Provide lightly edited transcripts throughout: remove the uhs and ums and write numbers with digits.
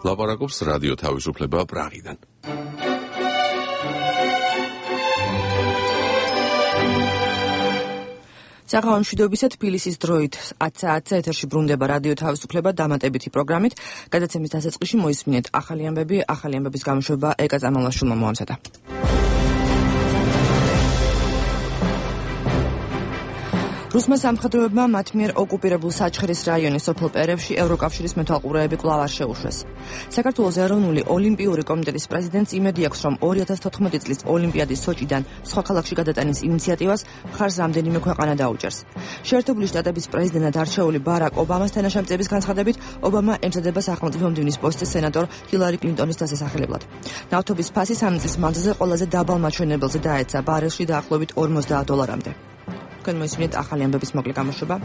ლაპარაკობს რადიო თავისუფლება პრაღიდან. საღამო მშვიდობისა, თბილისის დროით 10 საათზე ეთერში ბრუნდება რადიო თავისუფლება დამატებითი პროგრამით. გადაცემის დასაწყისში მოისმინეთ ახალი ამბების გამოშვება ეკა წამალაშვილმა მოამზადა. რუსმა სამხედროებმა მათ მიერ ოკუპირებულ საჩხერის რაიონის სოფელ პერევში ევროკავშირის მეთვალყურეები კვლავ არ შეუშვეს. საქართველოს ეროვნული ოლიმპიური კომიტეტის პრეზიდენტს იმედი აქვს, რომ 2014 წლის ოლიმპიადის სოჭიდან სხვა ქალაქში გადატანის ინიციატივას მხარს რამდენიმე ქვეყანა დაუჭერს. შეერთებული შტატების პრეზიდენტად არჩეული ბარაკ ობამას თანაშემწეების განცხადებით, ობამა ემზადება სახელმწიფო მდივნის პოსტზე სენატორ ჰილარი კლინტონის დასასახელებლად. ნავთობის ფასი 3 წლის მანძილზე ყველაზე დაბალ მაჩვენებელზე დაეცა ბარელში დაახლოებით $50. თქვენ მოისმინეთ ახალი ამბების მოკლე გამოშვება.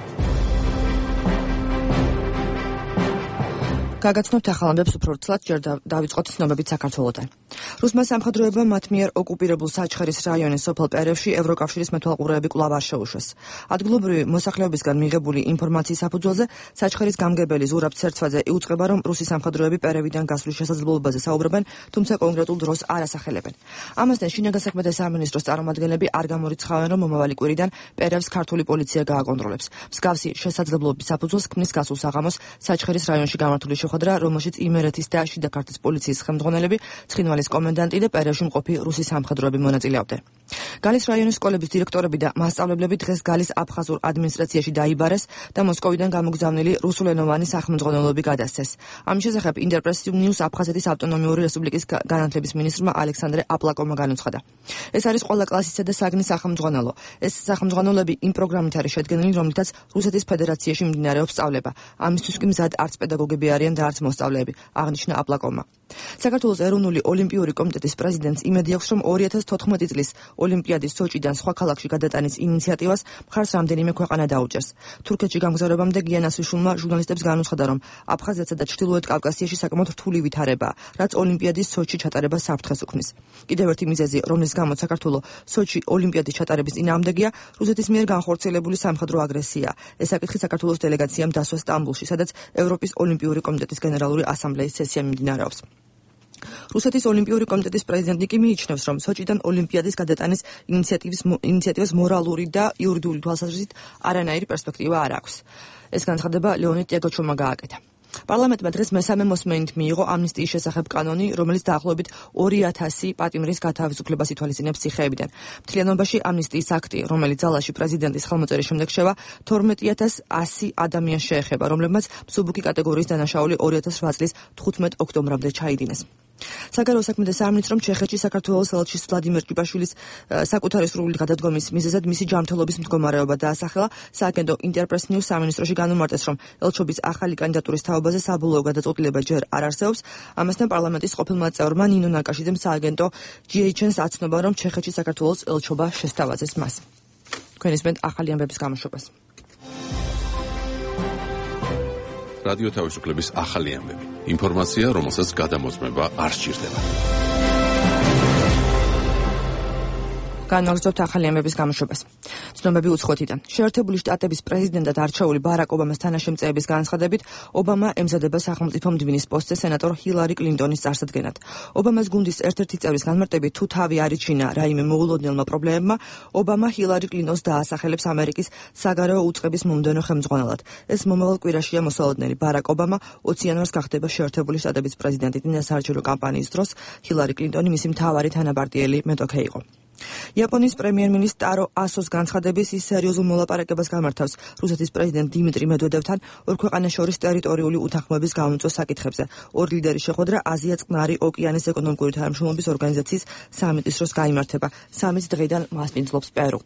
გაგაცნობთ ახალ ამბებს უფრო ვრცლად, ჯერ დავიწყოთ ცნობებით საქართველოდან. რუსმა სამხედროებმა მათ მიერ ოკუპირებულ საჩხერის რაიონის სოფელ პერევში ევროკავშირის მეთვალყურეები კვლავ არ შეუშვეს. ადგილობრივი მოსახლეობისგან მიღებული ინფორმაციის საფუძველზე საჩხერის გამგებელი ზურაბ ცერცვაძე იუწყება, რომ რუსი სამხედროები პერევიდან გასვლის შესაძლებლობაზე საუბრობენ, თუმცა კონკრეტულ დროს არ ასახელებენ. ამასთან შინაგან საქმეთა სამინისტროს წარმომადგენლები არ გამორიცხავენ, რომ მომავალი კვირიდან პერევს ქართული პოლიცია გააკონტროლებს. მსგავსი შესაძლებლობის საფუძველს ქმნის გასულ საღამოს საჩხერის რაიონში გამართული შეხვედრა, რომელშიც იმერეთის და შიდა ქართლის პოლიციის ხელმძღვანელები, ცხინვალის კომენდანტი და პერევში მყოფი რუსი სამხედროები მონაწილეობდნენ. გალის რაიონის სკოლების დირექტორები და მასწავლებლები დღეს გალის აფხაზურ ადმინისტრაციაში დაიბარეს და მოსკოვიდან გამოგზავნილი რუსულენოვანი სახელმძღვანელოები გადასცეს. ამის შესახებ ინტერპრეს ნიუს აფხაზეთის ავტონომიური რესპუბლიკის განათლების მინისტრმა ალექსანდრე აპლაკოვმა განუცხადა. ეს არის ყველა კლასისა და საგნის სახელმძღვანელო. ეს სახელმძღვანელოები იმ პროგრამით არის შედგენილი, რომლითაც რუსეთის ფედერაციაში მიმდინარეობს სწავლება. ამისთვის კი მზად არც პედაგოგები არიან და არც მოსწავლეები, აღნიშნა აპლაკოვმა. საქართველოს ეროვნული ოლიმპიური კომიტეტის პრეზიდენტს იმედი აქვს, რომ 2014 წლის ოლიმპიადის სოჭიდან სხვა ქალაქში გადატანის ინიციატივას მხარს რამდენიმე ქვეყანა დაუჭერს. თურქეთში გამგზავრებამდე გიანასვიშვილმა ჟურნალისტებს განუცხადა, რომ აფხაზეთსა და ჩრდილოეთ კავკასიაში საკმაოდ რთული ვითარებაა, რაც ოლიმპიადის სოჭში ჩატარებას საფრთხეს უქმნის. კიდევ ერთი მიზეზი, რომლის გამოც საქართველოს სოჭი ოლიმპიადის ჩატარების წინააღმდეგია, რუსეთის მიერ განხორციელებული სამხედრო აგრესია. ეს საკითხი საქართველოს დელეგაციამ დასვა სტამბულში, სადაც ევროპის ოლიმპიური კომიტეტის გენერალური ასამბლეის სესია მიმდინარეობს. რუსეთის ოლიმპიური კომიტეტის პრეზიდენტი კი მიიჩნევს, რომ სოჭიდან ოლიმპიადის გადატანის ინიციატივას მორალური და იურიდიული თვალსაზრისით არანაირი პერსპექტივა არ აქვს. ეს განცხადება ლეონიდ ჭეგოჩოვმა გააკეთა. პარლამენტმა დღეს მესამე მოსმენით მიიღო ამნისტიის შესახებ კანონი, რომელიც დაახლოებით 2000 პატიმრის გათავისუფლებას ითვალისწინებს ციხეებიდან. მთლიანობაში ამნისტიის აქტი, რომელიც ძალაში პრეზიდენტის ხელმოწერის შემდეგ შევა, 12100 ადამიანს შეეხება, რომლებმაც მსუბუქი კატეგორიის დანაშაული 2008 წლის 15 ოქტომბრამდე ჩაიდინეს. საგარეო საქმეთა სამინისტრომ ჩეხეთში საქართველოს ელჩის ვლადიმერ ჭიპაშვილის საკუთარი სრული გადადგომის მიზეზად მისი ჯანმრთელობის მდგომარეობა დაასახელა. სააგენტო ინტერპრეს ნიუს სამინისტროში განუმარტეს, რომ ელჩობის ახალი კანდიდატურის თაობაზე საბოლოო გადაწყვეტილება ჯერ არ არსებობს. ამასთან პარლამენტის ყოფილმა წევრმა ნინო ნაკაშიძემ სააგენტო GHN-ს აცნობა, რომ ჩეხეთში საქართველოს ელჩობა შესთავაზეს მას. თქვენ ისმენთ ახალი ამბების გამოშვებას. რადიო თავისუფლების ახალი ამბები. ინფორმაცია, რომელსაც გადამოწმება არ სჭირდება. განვაგრძობთ ახალი ამბების გამოშვებას. ცნობები უცხოეთიდან. შეერთებული შტატების პრეზიდენტად არჩეული ბარაკ ობამას თანაშემწეების განცხადებით, ობამა ემზადება სახელმწიფო მდივნის პოსტზე სენატორ ჰილარი კლინტონის წარსადგენად. ობამას გუნდის ერთ-ერთი წევრის განმარტებით, თუ თავი არიჩინა რაიმე მოულოდნელმა პრობლემებმა, ობამა ჰილარი კლინტონს დაასახელებს ამერიკის საგარეო უწყების მომდევნო ხელმძღვანელად. ეს მომავალ კვირაშია მოსალოდნელი. ბარაკ ობამა 20 იანვარს გახდება შეერთებული შტატების პრეზიდენტი. საარჩევნო კამპანიის დროს ჰილარი კლინტონი მისი მთავარი თანაპარტიელი მეტოქე იყო. იაპონიის პრემიერ-მინისტრ ტარო ასოს განცხადების ის სერიოზულ მოლაპარაკებას გამართავს რუსეთის პრეზიდენტ დიმიტრი მედვედევთან ორ ქვეყანას შორის ტერიტორიული უთანხმოების გამომწვევ საკითხებზე. ორი ლიდერის შეხვედრა აზია-წყნარი ოკეანის ეკონომიკური თანამშრომლობის ორგანიზაციის სამიტის დროს გაიმართება. სამიტს დღეიდან მასპინძლობს პერუ.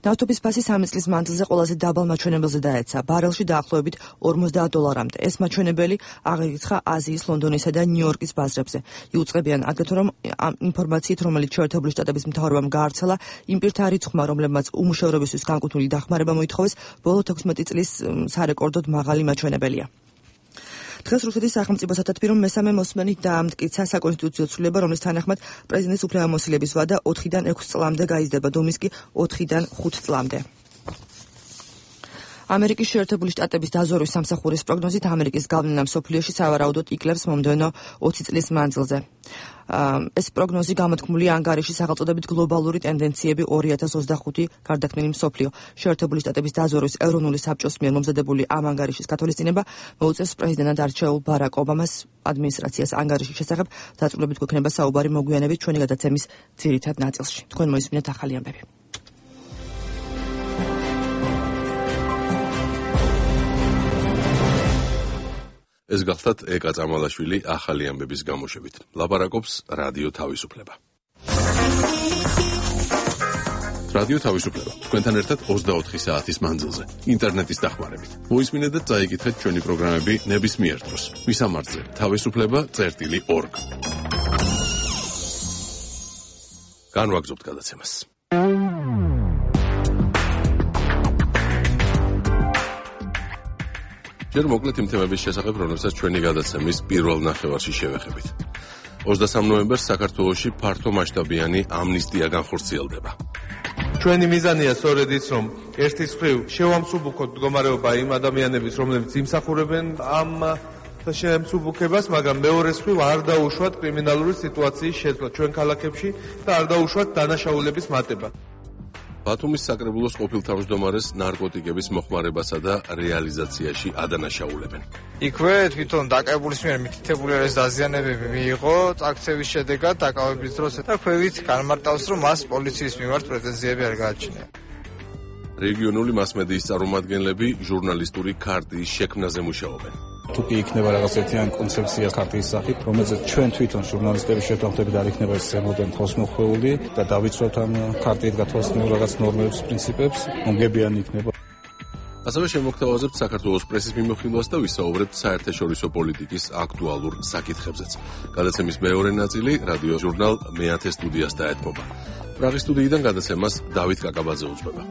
ნავთობის ფასი 3 წლის მანძილზე ყველაზე დაბალ მაჩვენებელზე დაეცა, ბარელში დაახლოებით $50-მდე. ეს მაჩვენებელი აღიარება აზიის, ლონდონისა და ნიუ-იორკის ბაზრებზე. იუწყებიან აგრეთვე, რომ ამ ინფორმაციით, რომელიც შეერთებული შტატების მთავრობამ გაავრცელა, იმ პირთა რიცხვმა, რომლებმაც უმუშევრობისთვის განკუთვნილი დახმარება მოითხოვეს, ბოლო 16 წლის სარეკორდოდ მაღალი მაჩვენებელია. დღეს რუსეთის სახელმწიფო სათათბირო მესამე მოსმენით დაამტკიცა საკონსტიტუციო ცვლილება, რომლის თანახმად პრეზიდენტის უფლებამოსილების ვადა 4-დან 6 წლამდე გაიზრდება, დუმის კი 4-დან 5 წლამდე. ამერიკის შეერთებული შტატების დაზვერვის სამსახურის პროგნოზით ამერიკის გავლენა მსოფლიოში სავარაუდოდ იკლებს მომდევნო 20 წლის მანძილზე. ეს პროგნოზი გამოთქმულია ანგარიშის სახელწოდებით გლობალური ტენდენციები 2025 გარდაქმნილი მსოფლიო. შეერთებული შტატების დაზვერვის ეროვნული საბჭოს მიერ მომზადებული ამ ანგარიშის გათვალისწინება მოუწევს პრეზიდენტად არჩეულ ბარაკ ობამას ადმინისტრაციას ანგარიშის შესახებ დაწვრილებით გვექნება საუბარი მოგვიანებით ჩვენი გადაცემის ძირითად ნაწილში. თქვენ მოისმინეთ ახალი ამბები. ეს გახლდათ ეკა წამალაშვილი ახალი ამბების გამოშვებით. ლაპარაკობს რადიო თავისუფლება. რადიო თავისუფლება. თქვენთან ერთად 24 საათის მანძილზე, ინტერნეტის დახმარებით. მოისმინეთ და წაიკითხეთ ჩვენი პროგრამები ნებისმიერ დროს. მისამართზე თავისუფლება.org. განვაგრძობთ გადაცემას. ჯერ მოკლედ იმ თემების შესახებ, რომელსაც ჩვენი გადაცემის პირველ ნახევარში შევეხებით. 23 ნოემბერს საქართველოში ფართო მასშტაბიანი ამნისტია განხორციელდება. ჩვენი მიზანია სწორედ ის, რომ ერთის მხრივ შევამსუბუქოთ მდგომარეობა იმ ადამიანების, რომლებიც იმსახურებენ ამ შემსუბუქებას, მაგრამ მეორეს მხრივ არ დაუშვათ კრიმინალური სიტუაციის შეცვლა ჩვენ ქალაქებში და არ დაუშვათ დანაშაულების მატება. ბათუმის საკრებულოს ყოფილ თავმჯდომარეს ნარკოტიკების მოხმარებასა და რეალიზაციაში ადანაშაულებენ. იქვე თვითონ დაკავებულის მიერ მითითებული არის დაზიანებები მიიღო აქციების შედეგად დაკავების დროს და ქვევით განმარტავს, რომ მას პოლიციის მიმართ პრეტენზიები არ გააჩნია. რეგიონული მასმედიის წარმომადგენლები ჟურნალისტური ქარტიის შექმნაზე მუშაობენ. თუ კი იქნება რაღაც ერთიანი კონცეფცია ქარტიის სახით, რომელზეც ჩვენ თვითონ ჟურნალისტების შეთანხმებით არ იქნება ზემოდან ხოსმოხვეული და დავიცვათ ამ ქარტიით გათვალისწინებულ რაღაც ნორმებს, პრინციპებს, მომგებიანი იქნება. ასევე შემოგთავაზებთ საქართველოს პრესის მიმოხილვას და ვისაუბრებთ საერთაშორისო პოლიტიკის აქტუალურ საკითხებზეც. გადაცემის მეორე ნაწილი რადიო ჟურნალ მეათე სტუდიას დაეთმობა. პრაღის სტუდიიდან გადაცემას დავით კაკაბაძე უძღვება.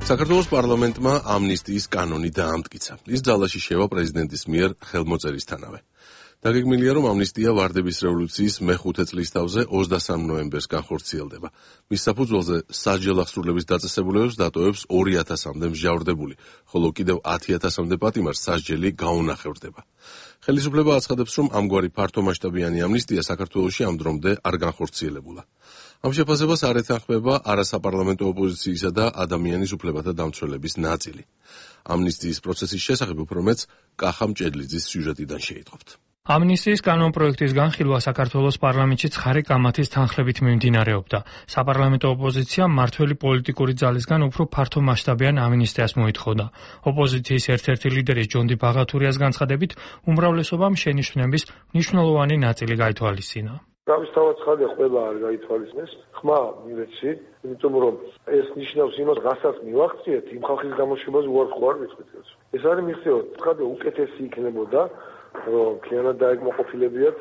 საქართველოს პარლამენტმა ამნისტიის კანონი დაამტკიცა. ის ძალაში შევა პრეზიდენტის მიერ ხელმოწერისთანავე. დაგეგმილია, რომ ამნისტია ვარდების რევოლუციის მე-5 წლის თავზე 23 ნოემბერს განხორციელდება. მის საფუძველზე სასჯელ აღსრულების დაწესებულებებს დატოვებს 2000-მდე მსჯავრდებული, ხოლო კიდევ 10,000-მდე პატიმარს სასჯელი გაუნახევრდება. ხელისუფლება აცხადებს, რომ ამგვარი ფართომასშტაბიანი ამნისტია საქართველოში ამ დრომდე არ განხორციელებულა. ამ შეფასებას არ ეთანხმება არასაპარლამენტო ოპოზიციისა და ადამიანის უფლებათა დამცველების ნაწილი. ამნისტიის პროცესის შესახებ უფრო მეტს კახა მჭედლიძის სიუჟეტიდან შეიტყობთ. ამნისტიის კანონპროექტის განხილვა საქართველოს პარლამენტში ცხარე კამათის თანხლებით მიმდინარეობდა. საპარლამენტო ოპოზიცია მმართველი პოლიტიკური ძალისგან უფრო ფართო მასშტაბიან ამნისტიას მოითხოვდა. ოპოზიციის ერთ-ერთი ლიდერის ჯონდი ბაღათურიას განცხადებით, უმრავლესობამ შენიშვნების მნიშვნელოვანი ნაწილი გაითვალისწინა. თავისთავად ცხადია, ყველა არ გაითვალისწინეს, ხმა მივეცი, იმიტომ რომ ეს ნიშნავს იმას, რასაც მივახციეთ, იმ ხალხის გამოშვებას უარყო არ მithვით. ეს არის მიხსევა, ცხადია უკეთესი იქნებოდა, რომ ქიანად დაეკმაყოფილებიათ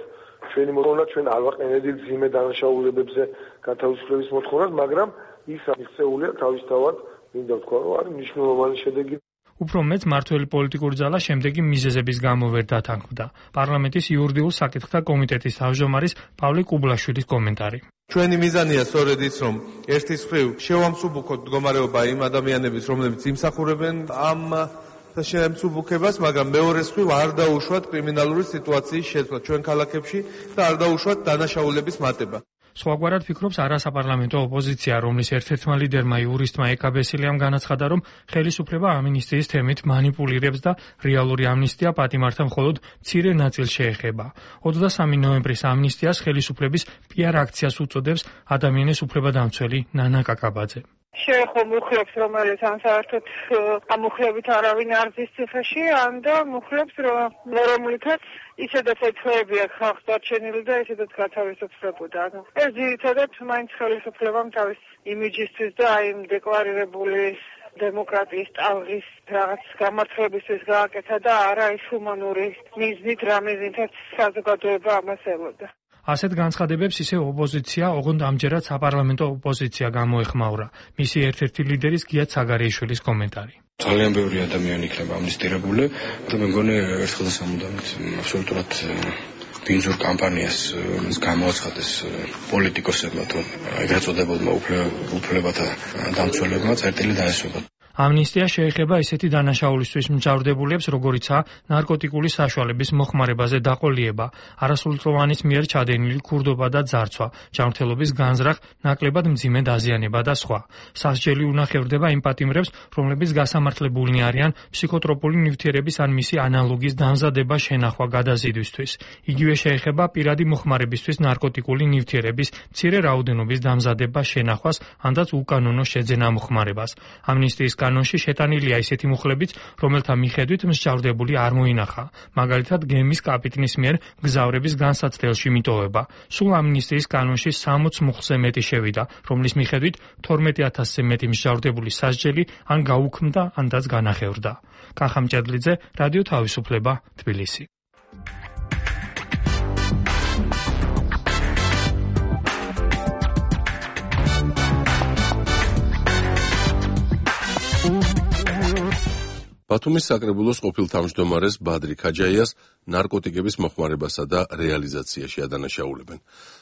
ჩვენი მოთხოვნა, ჩვენ არ ვაყენებდით ძიმე დანაშაულებებზე გათავისუფლების მოთხოვნას, მაგრამ ის მიხსეულია თავისთავად, მინდა ვთქვა, რომ არის მნიშვნელოვანი შედეგი. უფრო მეტ მმართველი პოლიტიკური ძალა შემდეგი მიზეზების გამო ვერ დათანხმდა. პარლამენტის იურიდიულ საკითხთა კომიტეტის თავმჯდომარის პავლე კუბლაშვილის კომენტარი. ჩვენი მიზანია სწორედ ის, რომ ერთის მხრივ შევამსუბუქოთ მდგომარეობა იმ ადამიანების, რომლებიც იმსახურებენ ამ შემსუბუქებას, მაგრამ მეორეს მხრივ არ დაუშვათ კრიმინალური სიტუაციის შეცვლა ჩვენ ქალაქებში და არ დაუშვათ დანაშაულების მატება. სხვაგვარად ფიქრობს არასაპარლამენტო ოპოზიცია, რომლის ერთ-ერთმა ლიდერმა იურისტმა ეკა ბესილიამ განაცხადა, რომ ხელისუფლება ამნისტიის თემით манипуლირებს და რეალური ამნისტია პატიმართა მხოლოდ მცირე ნაწილს შეეხება. 23 ნოემბრის ამნისტიას ხელისუფლების PR აქციას უწოდებს ადამიანის უფლებადამცველი ნანა კაკაბაძე. შეეხო მუხლებს, რომელიც ან საერთოდ ამ მუხლებით არავინ არ ზის ციხეში, ან და მუხლებს, რომლითაც ისედაც ეცხოვებია ხალხს დარჩენილი და ისედაც გათავისუფლებოდა. ეს ძირითადად მაინც ხელისუფლებამ თავის იმიჯისთვის და აი იმ დეკლარირებული დემოკრატიის ტალღის რაღაც გამართლებისთვის გააკეთა და არა ის ჰუმანური მიზნით, რამიზნითაც საზოგადოება ამას ელოდა. ასეთ განცხადებებს ისე ოპოზიცია, ოღონდ ამჯერად საპარლამენტო ოპოზიცია გამოეხმაურა. მისი ერთ-ერთი ლიდერის გია ცაგარიაშვილის კომენტარი. ძალიან ბევრი ადამიანი იქნება ამნისტირებული და მე მგონი ერთხელ და სამუდამოდ აბსოლუტურად ბინძურ კამპანიას გამოაცხადეს პოლიტიკოსებმა თუ ეგრეთ წოდებულმა უფლებათა დამცველებმა წერტილი დაესვება. ამნისტია შეეხება ისეთი დანაშაულისთვის მჯავრდებულებს, როგორიცაა ნარკოტიკული საშუალების მოხმარებაზე დაყოლიება, არასრულწლოვანის მიერ ჩადენილი ქურდობა და ძარცვა, ჯანმრთელობის განზრახ, ნაკლებად მძიმე დაზიანება და სხვა. სასჯელი უნახევრდება იმ პატიმრებს, რომლებიც გასამართლებულნი არიან ფსიქოტროპული ნივთიერების ან მისი ანალოგის დამზადება, შენახვა, გადაზიდვისთვის. იგივე შეეხება პირადი მოხმარებისთვის ნარკოტიკული ნივთიერების მცირე რაოდენობის დამზადება, შენახვას, ანდაც უკანონო შეძენა მოხმარებას. ამნისტიის კანონში შეტანილია ისეთი მუხლებიც, რომელთა მიხედვით მსჯავრდებული არ მოინახა, მაგალითად გემის კაპიტნის მიერ გზავრების განსაცდელში მიტოვება. სულ ამნისტიის კანონში 60 მუხლზე მეტი შევიდა, რომლის მიხედვით 12,000-ზე მეტი მსჯავრდებული სასჯელი ან გაუქმდა, ანდაც განახევრდა. კახა მჭედლიძე, რადიო თავისუფლება, თბილისი. ბათუმის საკრებულოს ყოფილ თავმჯდომარეს ბადრი ქაჯაიას ნარკოტიკების მოხმარებასა და რეალიზაციაში ადანაშაულებენ.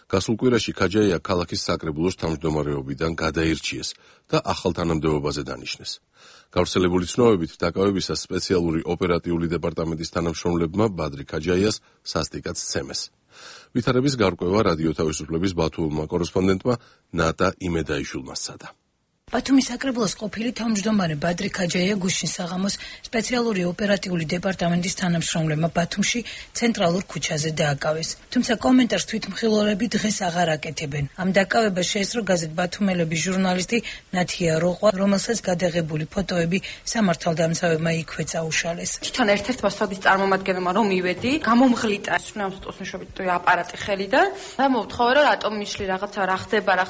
გასულ კვირაში ქაჯაია ქალაქის საკრებულოს თავმჯდომარეობიდან გადაირჩიეს და ახალ თანამდებობაზე დანიშნეს. გავრცელებული ცნობებით დაკავებისას სპეციალური ოპერატიული დეპარტამენტის თანამშრომლებმა ბადრი ქაჯაიას სასტიკად სცემეს. ვითარების გარკვევა რადიო თავისუფლების ბათუმელმა კორესპონდენტმა ნატა იმედაიშვილმა სცადა. ბათუმის საკრებულოს ყოფილი თავმჯდომარე ბადრი ქაჯაია გუშინ საღამოს სპეციალური ოპერატიული დეპარტამენტის თანამშრომლებმა ბათუმში ცენტრალურ ქუჩაზე დააკავეს. თუმცა კომენტარს თვითმხილველები დღეს აღარ აკეთებენ. ამ დაკავებას შეესწრო გაზეთ ბათუმელების ჟურნალისტი ნათია როყვა, რომელსაც გადაღებული ფოტოები სამართალდამცავებმა იქვე წაუშალეს. თვითონ ერთ-ერთმა სოდის წარმომადგენელმა რომ მივედი, გამომღლიტა სუნამსტოსნშობით აპარატი ხელიდან და მოვთხოვე რომ რატომ მიშლი რაღაცა რა ხდება და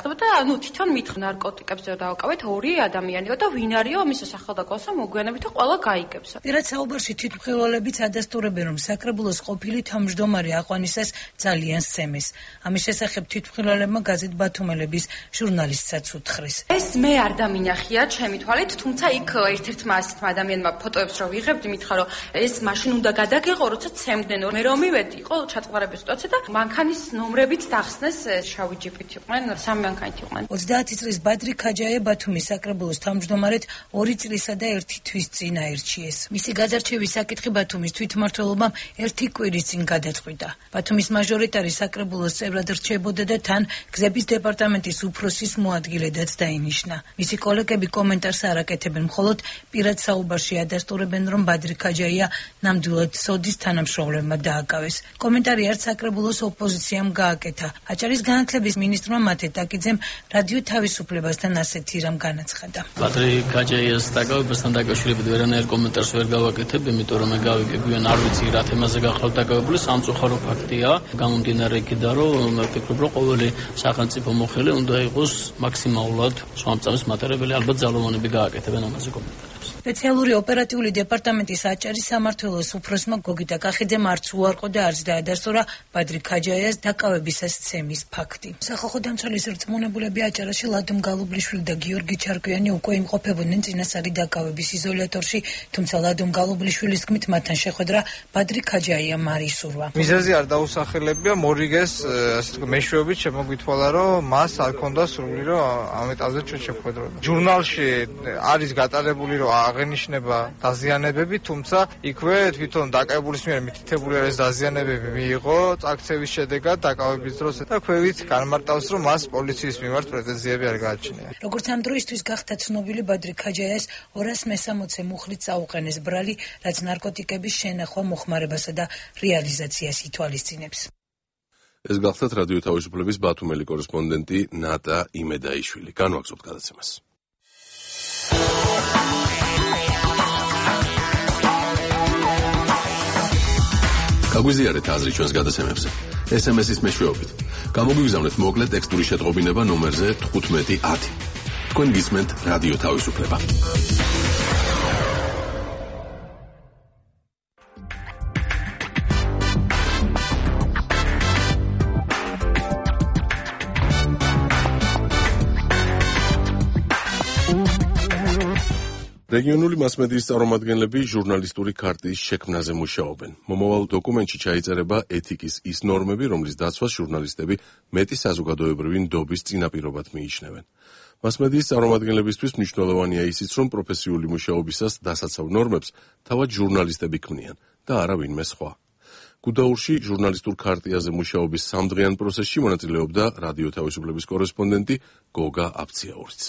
თვითონ მითხ ნარკოტიკებზე დავკავე ორი ადამიანია და ვინ არისო მის სახელდაკვალსა მოგვიანებით და ყველა გაიგებს. პირად საუბარში თვითმხილველებიც ადასტურებენ, რომ საკრებულოს ყოფილი თავმჯდომარე აყვანისას ძალიან სცემეს. ამის შესახებ თვითმხილველებმა გაზეთ ბათუმელების ჟურნალისტსაც უთხრეს. ეს მე არ დამინახია ჩემი თვალით, თუმცა იქ ერთ-ერთმა ასეთმა ადამიანმა ფოტოებს რო ვიღებდი, მითხრა რომ ეს მაშინ უნდა გადაგეყო, როცა ცემდნენ. მე რომ მივედი, იყო ჩაწყარების სიტუაცია და მანქანის ნომრებით დახსნეს შავი ჯიპით იყვნენ, 3 მანქანით იყვნენ. 30 წლის ბადრი ქაჯაია ბათუმის საკრებულოს თავმჯდომარედ 2 წლისა და 1 თვის წინ აირჩიეს. მისი გაძარჩევის საკითხი ბათუმის თვითმმართველობამ 1 კვირის წინ გადაწყვიტა. ბათუმის მაჟორიტარი საკრებულოს წევრად რჩებოდა და თან გზების დეპარტამენტის უფროსის მოადგილედაც დაინიშნა. მისი კოლეგები კომენტარს არ აკეთებენ, მხოლოდ პირად საუბარში ადასტურებენ, რომ ბადრი ქაჯაია ნამდვილად სოდის თანამშრომლებმა დააკავეს. კომენტარი არც საკრებულოს ოპოზიციამ გააკეთა. აჭარის განათლების მინისტრმა მათე ტაკიძემ რადიო თავისუფლებასთან ასეთი რამ განაცხადა. ბადრი ქაჯაიას დაკავებასთან დაკავშირებით ვერანაირ კომენტარს ვერ გავაკეთებ, იმიტომ რომ მე გავიგებიან არ ვიცი რა თემაზე გახლავთ დაკავებული, სამწუხარო ფაქტია. გამომდინარე იქიდან, რომ მე ვფიქრობ, რომ ყოველი სახელმწიფო მოხელე უნდა იყოს მაქსიმალურად სვამწამის მატარებელი, ალბათ ძალოვანები გააკეთებენ ამაზე კომენტარებს. სპეციალური ოპერატიული დეპარტამენტის აჭარის სამმართველოს უფროსმა გოგიტა კახიძემ არც უარყო და არც დაადასტურა ბადრი ქაჯაიას დაკავებისას ცემის ფაქტი. სახალხო დამცველის რწმუნებულები აჭარაში ლადომ გალუბლიშვილი და გიორგი ჩარკვიანი უკვე იმყოფებოდნენ წინასწარი დაკავების იზოლატორში, თუმცა ლადომ გალუბლიშვილის თქმით მათთან შეხვედრა ბადრი ქაჯაიამ არ ისურვა. მიზეზი არ დაუსახელებია, მორიგეს ასე თქვა მეშვეობით შემოგვითვალა, რომ მას არ ქონდა სრული, რომ ამ ეტაპზე ჩვენ შევხვედროდნენ. ჟურნალში არის გატარებული, რომ აღენიშნება დაზიანებები, თუმცა იქვე თვითონ დაკავებულის მიერ მითითებული არის დაზიანებები მიიღო აქციის შედეგად დაკავების დროს და ქვევით განმარტავს, რომ მას პოლიციის მიმართ პრეტენზიები არ გააჩნია. როგორც ამ დროისთვის გახდა ცნობილი, ბადრი ქაჯაიას 260 მუხლით წაუყენეს ბრალი, რაც ნარკოტიკების შენახვა, მოხმარებასა და რეალიზაციას ითვალისწინებს. ეს გახლდათ რადიო თავისუფლების ბათუმელი კორესპონდენტი ნატა იმედაიშვილი. განვაგრძობთ გადაცემას. გაგვიზიარეთ აზრი ჩვენს გადაცემებზე. SMS-ის მეშვეობით. გამოგვიგზავნეთ მოკლე ტექსტური შეტყობინება ნომერზე 1510. თქვენ გისმენთ რადიო თავისუფლება. რეგიონული მასმედიის წარმომადგენლები ჟურნალისტური ქარტიის შექმნაზე მუშაობენ. მომავალ დოკუმენტში ჩაიწერება ეთიკის ის ნორმები, რომლის დაცვას ჟურნალისტები მეტი საზოგადოებრივი ნდობის წინაპირობად მიიჩნევენ. მასმედიის წარმომადგენლებისთვის მნიშვნელოვანია ისიც, რომ პროფესიული მუშაობისას დასაცავ ნორმებს თავად ჟურნალისტები ქმნიან და არა ვინმე სხვა. გუდაურში ჟურნალისტურ ქარტიაზე მუშაობის სამდღიან პროცესში მონაწილეობდა რადიო თავისუფლების კორესპონდენტი გოგა აფციაურიც.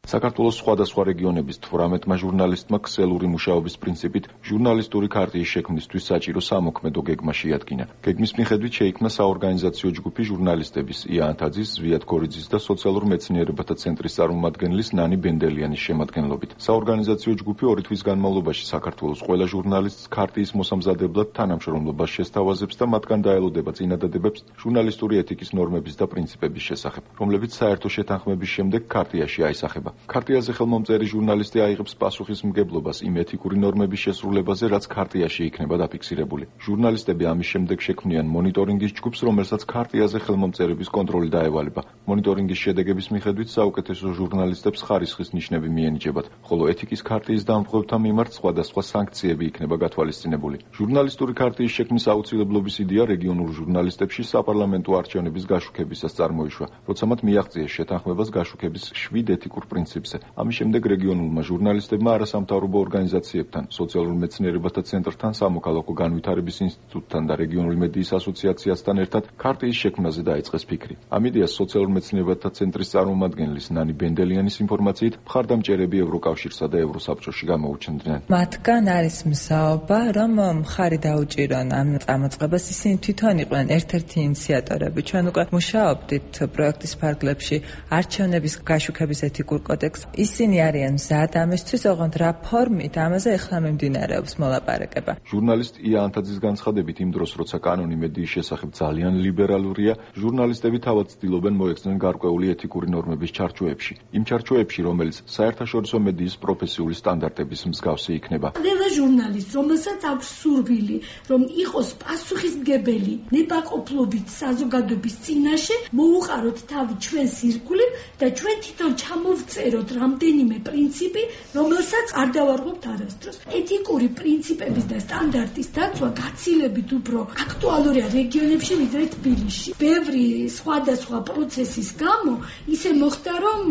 საქართველოს სხვადასხვა რეგიონების 18-მა ჟურნალისტმა ქსელური მუშაობის პრინციპით ჟურნალისტური ქარტიის შექმნისთვის საჭირო სამოქმედო გეგმა შეადგინა. გეგმის მიხედვით შეიქმნა საორგანიზაციო ჯგუფი ჟურნალისტების ია ანთაძის, ზვიად გორიძის და სოციალურ მეცნიერებათა ცენტრის წარმომადგენლის ნანი ბენდელიანის შემადგენლობით. საორგანიზაციო ჯგუფი 2 თვის განმავლობაში საქართველოს ყველა ჟურნალისტს ქარტიის მოსამზადებლად თანამშრომლობას შესთავაზებს და მათგან დაელოდება წინადადებებს ჟურნალისტური ეთიკის ნორმების და პრინციპების შესახებ, რომლებიც საერთო შეთანხმების შემდეგ ქარტიაში აისახება. ქარტიაზე ხელმომწერი ჟურნალისტი აიღებს პასუხისმგებლობას იმ ეთიკური ნორმების შესრულებაზე, რაც ქარტიაში იქნება დაფიქსირებული. ჟურნალისტები ამის შემდეგ შექმნიან მონიტორინგის ჯგუფს, რომელსაც ქარტიაზე ხელმომწერების კონტროლი დაევალება. მონიტორინგის შედეგების მიხედვით საუკეთესო ჟურნალისტებს ხარისხის ნიშნები მიენიჭებათ, ხოლო ეთიკის ქარტიის დამხმარებელთა მიმართ სხვადასხვა სანქციები იქნება გათვალისწინებული. ჟურნალისტური ქარტიის შექმნის აუცილებლობის იდეა რეგიონულ ჟურნალისტებში საპარლამენტო არჩევნების გაშუქებისას წარმოიშვა, როცა მათ მიაღწიეს შეთანხმებას გაშუქების 7 ეთიკურ პრინციპებზე. ამის შემდეგ რეგიონულმა ჟურნალისტებმა არასამთავრობო ორგანიზაციებთან, სოციალურ მეცნიერებათა ცენტრთან, სამოქალაქო განვითარების ინსტიტუტთან და რეგიონული მედიის ასოციაციასთან ერთად ქარტიის შექმნაზე დაიწყეს ფიქრი. ამ იდეას სოციალურ მეცნიერებათა ცენტრის წარმომადგენლის ნანი ბენდელიანის ინფორმაციით მხარდამჭერები ევროკავშირსა და ევროსაბჭოში გამოუჩნდნენ. მათგან არის მსაობა, რომ მხარი დაუჭირონ ამ წამოწყებას. ისინი თვითონ იყვნენ ერთ-ერთი ინიციატორები. ჩვენ უკვე მუშაობდით პროექტის ფარგლებში არჩევნების გაშუქების ეთიკურ კოდექს. ისინი არიან მზად ამისთვის, ოღონდ რა ფორმით ამაზე ახლა მიმდინარეობს მოლაპარაკება. ჟურნალისტ ია ანთაძის განცხადებით, იმ დროს, როცა კანონი მედიის შესახებ ძალიან ლიბერალურია, ჟურნალისტები თავად ცდილობენ მოეხსნიან გარკვეული ეთიკური ნორმების ჩარჩოებში. იმ ჩარჩოებში, რომელიც საერთაშორისო მედიის პროფესიული სტანდარტების მსგავსი იქნება. ყველა ჟურნალისტ, რომელსაც აქვს სურვილი, რომ იყოს პასუხისმგებელი ნებაყოფლობით საზოგადოების წინაშე, მოუყაროთ თავი ჩვენს ირგვლივ და ჩვენ თვითონ ჩამოვწეროთ რამდენიმე პრინციპი, რომელსაც არ დავარღვევთ არასდროს. ეთიკური პრინციპების და სტანდარტის დაცვა გაცილებით უფრო აქტუალურია რეგიონებში, ვიდრე თბილისში. ბევრი სხვადასხვა პროცესის გამო ისე მოხდა, რომ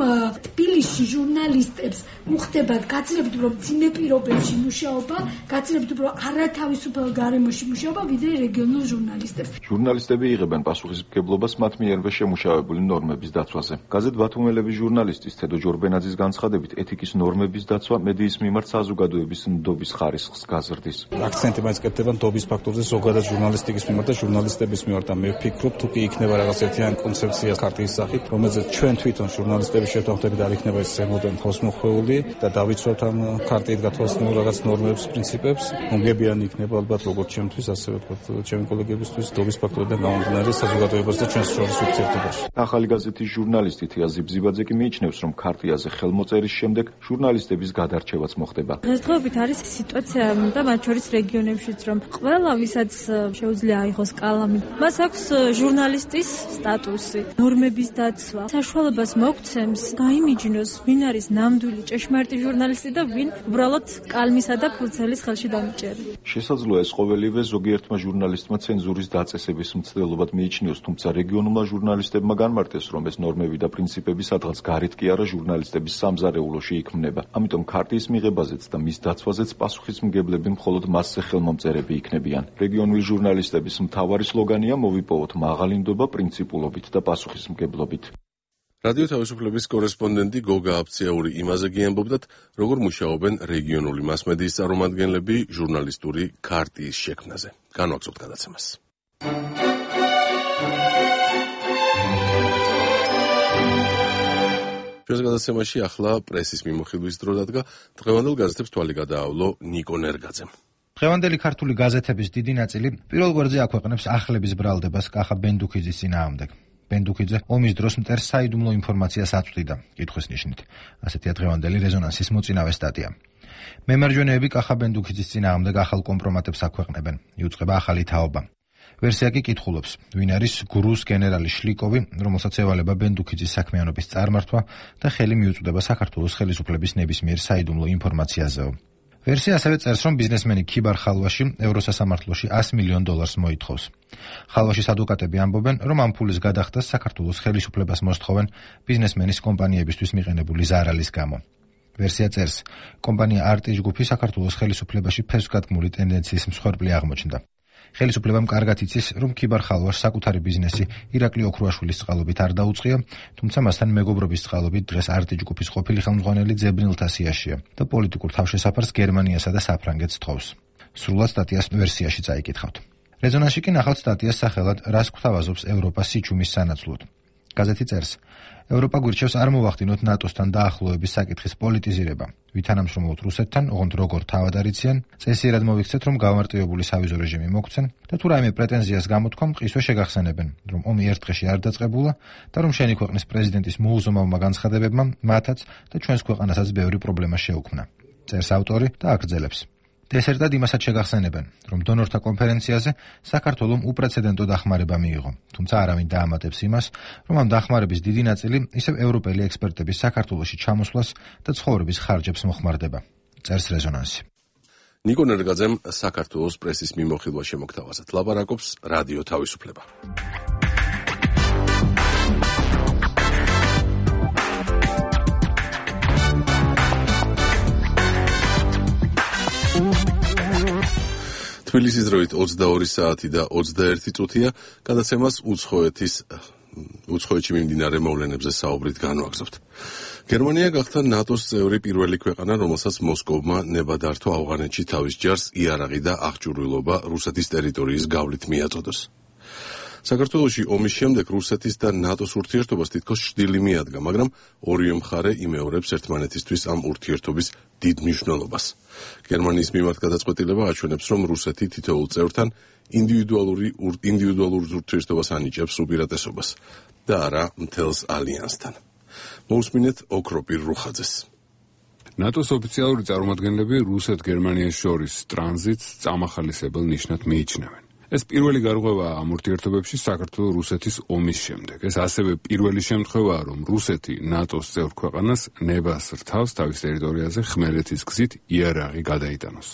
თბილისში ჟურნალისტებს უხდებათ გაცილებით უფრო მძიმე პირობებში მუშაობა, გაცილებით უფრო არათავისუფალ გარემოში მუშაობა, ვიდრე რეგიონულ ჟურნალისტებს. ჟურნალისტები იღებენ პასუხისმგებლობას მათ მიერვე შემუშავებული ნორმების დაცვაზე. გაზეთ ბათუმელების ჟურნალისტის თედო ჯორბენაძის განცხადებით, ეთიკის ნორმების დაცვა მედიის მიმართ საზოგადოების ნდობის ხარისხს გაზრდის. აქცენტი მაინც კეთდება ნდობის ფაქტორზე ზოგადად ჟურნალისტიკის მიმართ და ჟურნალისტების მიმართ და მე ვფიქრობ, თუ კი იქნება რაღაც ერთიანი კონცეფცია ქარტიის სახით, რომელზეც ჩვენ თვითონ ჟურნალისტების შეთანხმებით არ იქნება ეს ზემოდან ხოს მოხვეული და დავიცვათ ამ ქარტიით გათვალისწინებულ რაღაც ნორმებს, პრინციპებს, მომგებიანი იქნება ალბათ როგორც ჩემთვის, ასევე ჩემი კოლეგებისთვის ნდობის ფაქტორიდან გამომდინარე საზოგადოებას და ჩვენს შორის ურთიერთობაში. ახალი გაზეთის ჟურნალისტი თია ზიბზიბაძე კი მიიჩნევს, რომ ქარტიაზე ხელმოწერის შემდეგ ჟურნალისტების გადარჩევაც მოხდება. დღესდღეობით არის სიტუაცია და მათ შორის რეგიონებშიც, რომ ყველა ვისაც შეუძლია აიღოს კალამი, მას აქვს ჟურნალისტის სტატუსი, ნორმების დაცვა, საშუალებას მოგცემს გაიმიჯნოს, ვინ არის ნამდვილი ჭეშმარიტი ჟურნალისტი და ვინ უბრალოდ კალმისა და ფურცელის ხელში დამიჭერი. შესაძლოა ეს ყოველივე ზოგიერთმა ჟურნალისტმა ცენზურის დაწესების მცდელობად მიიჩნიოს, თუმცა რეგიონულმა ჟურნალისტებმა განმარტეს, რომ ეს ნორმები და პრინციპები სადღაც გარეთ კი არა ჟურნალისტების სამზარეულოში იქმნება. ამიტომ ქარტიის მიღებაზეც და მის დაცვაზეც პასუხისმგებლები მხოლოდ მასზე ხელმომწერები იქნებიან. რეგიონული ჟურნალისტების მთავარი სლოგანია მოვიპოვოთ მაღალი ნდობა პრინციპულობით და პასუხისმგებლობით. რადიო თავისუფლების კორესპონდენტი გოგა აფციაური იმაზე გიამბობდათ, როგორ მუშაობენ რეგიონული მასმედიის წარმომადგენლები ჟურნალისტური ქარტიის შექმნაზე. განვაგრძობთ გადაცემას. ჩვენს გადაცემაში ახლა პრესის მიმოხილვის დრო დადგა. დღევანდელ გაზეთებს თვალი გადაავლო ნიკო ნერგაძემ. დღევანდელი ქართული გაზეთების დიდი ნაწილი პირველ გვერდზე აქვეყნებს ახლების ბრალდებას კახა ბენდუქიძის წინააღმდეგ. ბენდუქიძე ომის დროს მტერს საიდუმლო ინფორმაციას აწვდიდა, კითხვის ნიშნით. ასეთია დღევანდელი რეზონანსის მოწინავე სტატია. მემარჯვენეები კახა ბენდუქიძის წინააღმდეგ ახალ კომპრომატებს აქვეყნებენ. იუწყება ახალი თაობა. ვერსია კი კითხულობს, ვინ არის გრუს გენერალი შლიკოვი, რომელსაც ევალება ბენდუქიძის საქმიანობის წარმართვა და ხელი მიუწვდება საქართველოს ხელისუფლების ნებისმიერ საიდუმლო ინფორმაციაზეო. ვერსია ასევე წერს, რომ ბიზნესმენი ქიბარ ხალვაში ევროსასამართლოში $100 მილიონ მოითხოვს. ხალვაშის ადვოკატები ამბობენ, რომ ამ ფულის გადახდას საქართველოს ხელისუფლებას მოსთხოვენ ბიზნესმენის კომპანიებისთვის მიყენებული ზარალის გამო. ვერსია წერს, კომპანია არტი ჯგუფი საქართველოს ხელისუფლებაში ფესვგადგმული ტენდენციის მსხვერპლი აღმოჩნდა. ხელისუფლებამ კარგად იცის, რომ ქიბარ ხალვაშს საკუთარი ბიზნესი ირაკლი ოქრუაშვილის წყალობით არ დაუწყია, თუმცა მასთან მეგობრობის წყალობით დღეს არტი ჯგუფის ყოფილი ხელმძღვანელი ძებნილთა სიაშია და პოლიტიკურ თავშესაფარს გერმანიასა და საფრანგეთს თხოვს. სრულად სტატიას ვერსიაში წაიკითხავთ. რეზონანსში კი ნახავთ სტატიას სახელად რას გვთავაზობს ევროპა სიჩუმის სანაცვლოდ. გაზეთი წერს, ევროპა გვირჩევს არ მოვახდინოთ ნატოსთან დაახლოების საკითხის პოლიტიზირება. ვითანამშრომლოთ რუსეთთან, ოღონდ როგორ თავად არიციან, წესიერად მოვიქცეთ, რომ გამარტივებული სავიზო რეჟიმი მოგცენ და თუ რაიმე პრეტენზიას გამოთქვამ, მყისვე შეგახსენებენ, რომ ომი ერთ დღეში არ დაწყებულა და რომ შენი ქვეყნის პრეზიდენტის მოუზომავმა განცხადებებმა მათაც და ჩვენს ქვეყანასაც ბევრი პრობლემა შეუქმნა. წერს ავტორი და აგრძელებს. დესერტად იმასაც შეგახსენებენ, რომ დონორთა კონფერენციაზე საქართველომ უპრეცედენტო დახმარება მიიღო, თუმცა არავინ დაამატებს იმას, რომ ამ დახმარების დიდი ნაწილი ისევ ევროპელი ექსპერტების საქართველოში ჩამოსვლას და ცხოვრების ხარჯებს მოხმარდება. წერს რეზონანსი. ნიკო ნერგაძემ საქართველოს პრესის მიმოხილვა შემოგთავაზა. ლაპარაკობს რადიო თავისუფლება. თბილისის დროით 22 საათი და 21 წუთია, გადაცემას უცხოეთში მიმდინარე მოვლენებზე საუბრით განვაგრძობთ. გერმანია გახდა ნატოს წევრი პირველი ქვეყანა, რომელსაც მოსკოვმა ნება დართვა ავღანეთში თავის ჯარს იარაღი და აღჭურვილობა რუსეთის ტერიტორიის გავლით მიაწოდოს. საქართველოში ომის შემდეგ რუსეთის და ნატოს ურთიერთობას თითქოს შდილი მიადგა, მაგრამ ორივე მხარე იმეორებს ერთმანეთისთვის ამ ურთიერთობის დიდ მნიშვნელობას. გერმანიის მიმართ გადაწყვეტილება აჩვენებს, რომ რუსეთი თითოეულ წევრთან ინდივიდუალურ ურთიერთობას ანიჭებს უპირატესობას და არა მთელს ალიანსთან. მოусმინეთ ოქროპირ რუხაძეს. ნატოს ოფიციალური წარმომადგენლები რუსეთ-გერმანიას შორის ტრანზიტს წამახალისებელ ნიშნად მიიჩნევენ. ეს პირველი გარღვევაა ამ ურთიერთობებში საქართველოს-რუსეთის ომის შემდეგ. ეს ასევე პირველი შემთხვევაა, რომ რუსეთი ნატოს წევრ ქვეყანას ნებას რთავს თავის ტერიტორიაზე ხმელეთის გზით იარაღი გადაიტანოს.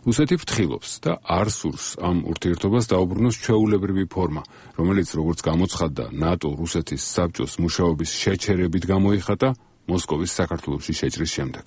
რუსეთი ფრთხილობს და არ სურს ამ ურთიერთობას დაუბრუნოს ჩვეულებრივი ფორმა, რომელიც, როგორც გამოცხადდა, ნატო-რუსეთის საბჭოს მუშაობის შეჩერებით გამოიხატა მოსკოვის საქართველოში შეჭრის შემდეგ.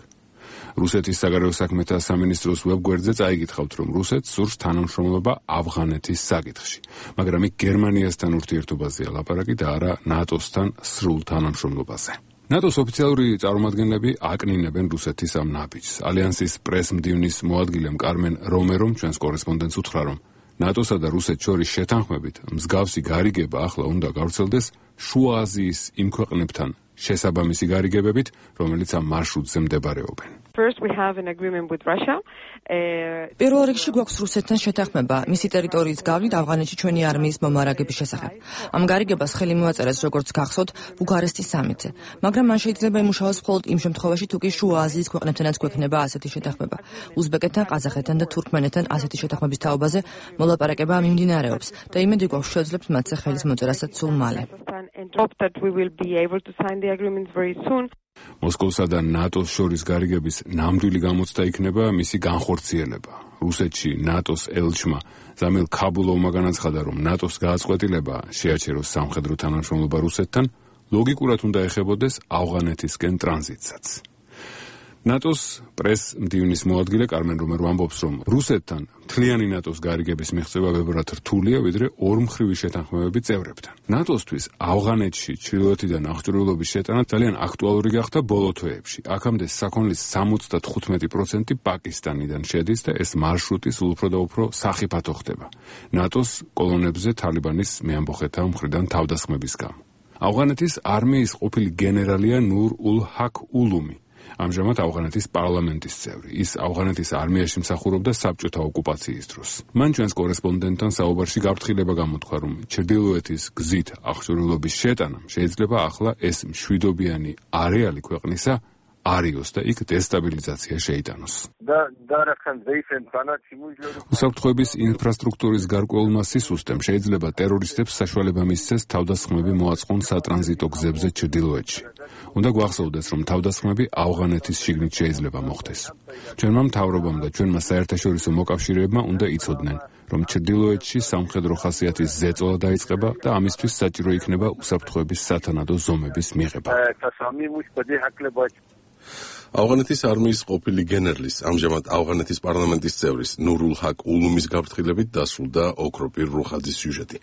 რუსეთის საგარეო საქმეთა სამინისტროს ვებგვერდზე წაიკითხავთ, რომ რუსეთს სურს თანამშრომლობა ავღანეთის საკითხში, მაგრამ იქ გერმანიასთან ურთიერთობაზეა ლაპარაკი და არა ნატოსთან სრულ თანამშრომლობაზე. ნატოს ოფიციალური წარმომადგენლები აკნინებენ რუსეთის ამ ნაბიჯს. ალიანსის პრეს-მდივნის მოადგილემ კარმენ რომერომ ჩვენს კორესპონდენტს უთხრა, რომ ნატოსა და რუსეთს შორის შეთანხმებით მსგავსი გარიგება ახლა უნდა გავრცელდეს შუა აზიის იმ ქვეყნებთან შესაბამისი გარიგებებით, რომელიც ამ მარშრუტზე მდებარეობენ. პირველ რიგში გვაქვს რუსეთთან შეთანხმება მისი ტერიტორიის გავლით ავღანეთში ჩვენი არმიის მომარაგების შესახებ. ამ გარიგებას ხელი მოაწერეს, როგორც გახსოვთ, ბუქარესტის სამიტზე. მაგრამ მან შეიძლება იმუშაოს მხოლოდ იმ შემთხვევაში, თუ კი შუა აზიის ქვეყნებთანაც გვექნება ასეთი შეთანხმება. უზბეკეთთან, ყაზახეთთან და თურქმენეთთან ასეთი შეთანხმების თაობაზე მოლაპარაკება მიმდინარეობს და იმედი გვაქვს შეძლებთ მათზე ხელის მოწერასაც სულ მალე. მოსკოვსა და ნატოს შორის გარიგების ნამდვილი გამოცდა იქნება მისი განხორციელება. რუსეთში ნატოს ელჩმა ზამილ ქაბულოვმა განაცხადა, რომ ნატოს გააწყვეტილება შეაჩეროს სამხედრო თანამშრომლობა რუსეთთან, ლოგიკურად უნდა ეხებოდეს ავღანეთისკენ ტრანზიტსაც. ნატოს პრეს-მდივნის მოადგილე კარმენ რომერო ამბობს, რომ რუსეთთან მთლიანი ნატოს გარიგების მიღწევა ბევრად რთულია, ვიდრე ორმხრივი შეთანხმებები წევრებთან. ნატოსთვის ავღანეთში ჩრდილოეთიდან აღჭურვილობის შეტანა ძალიან აქტუალური გახდა ბოლო თვეებში. აქამდე საქონლის 75% პაკისტანიდან შედის და ეს მარშრუტი სულ უფრო და უფრო სახიფათო ხდება. ნატოს კოლონებზე თალიბანის მეამბოხეთა მხრიდან თავდასხმების გამო. ავღანეთის არმიის ყოფილი გენერალია ნურ ულ ჰაკ ულუმი. ამჟამად ავღანეთის პარლამენტის წევრი. ის ავღანეთის არმიაში მსახურობდა საბჭოთა ოკუპაციის დროს. მან ჩვენს კორესპონდენტთან საუბარში გაფრთხილება გამოთქვა, რომ ჩრდილოეთის გზით აღჭურვილობის შეტანამ შეიძლება ახლა ეს მშვიდობიანი არეალი ქვეყნისა არიოს და იქ დესტაბილიზაცია შეიტანოს. უსაფრთხოების ინფრასტრუქტურის გარკვეულმა სისუსტემ შეიძლება ტერორისტებს საშუალება მისცეს თავდასხმები მოაწყონ სატრანზიტო გზებზე ჩრდილოეთში. უნდა გვახსოვდეს, რომ თავდასხმები ავღანეთის შიგნით შეიძლება მოხდეს. ჩვენმა მთავრობამ და ჩვენმა საერთაშორისო მოკავშირეებმა უნდა იცოდნენ, რომ ჩრდილოეთში სამხედრო ხასიათის ზეწოლა დაიწყება და ამისთვის საჭირო იქნება უსაფრთხოების სათანადო ზომების მიღება. ავღანეთის არმიის ყოფილი გენერლის, ამჟამად ავღანეთის პარლამენტის წევრის ნურულ ჰაკ ულუმის გაფრთხილებით დასრულდა ოქროპირ რუხაძის სიუჟეტი.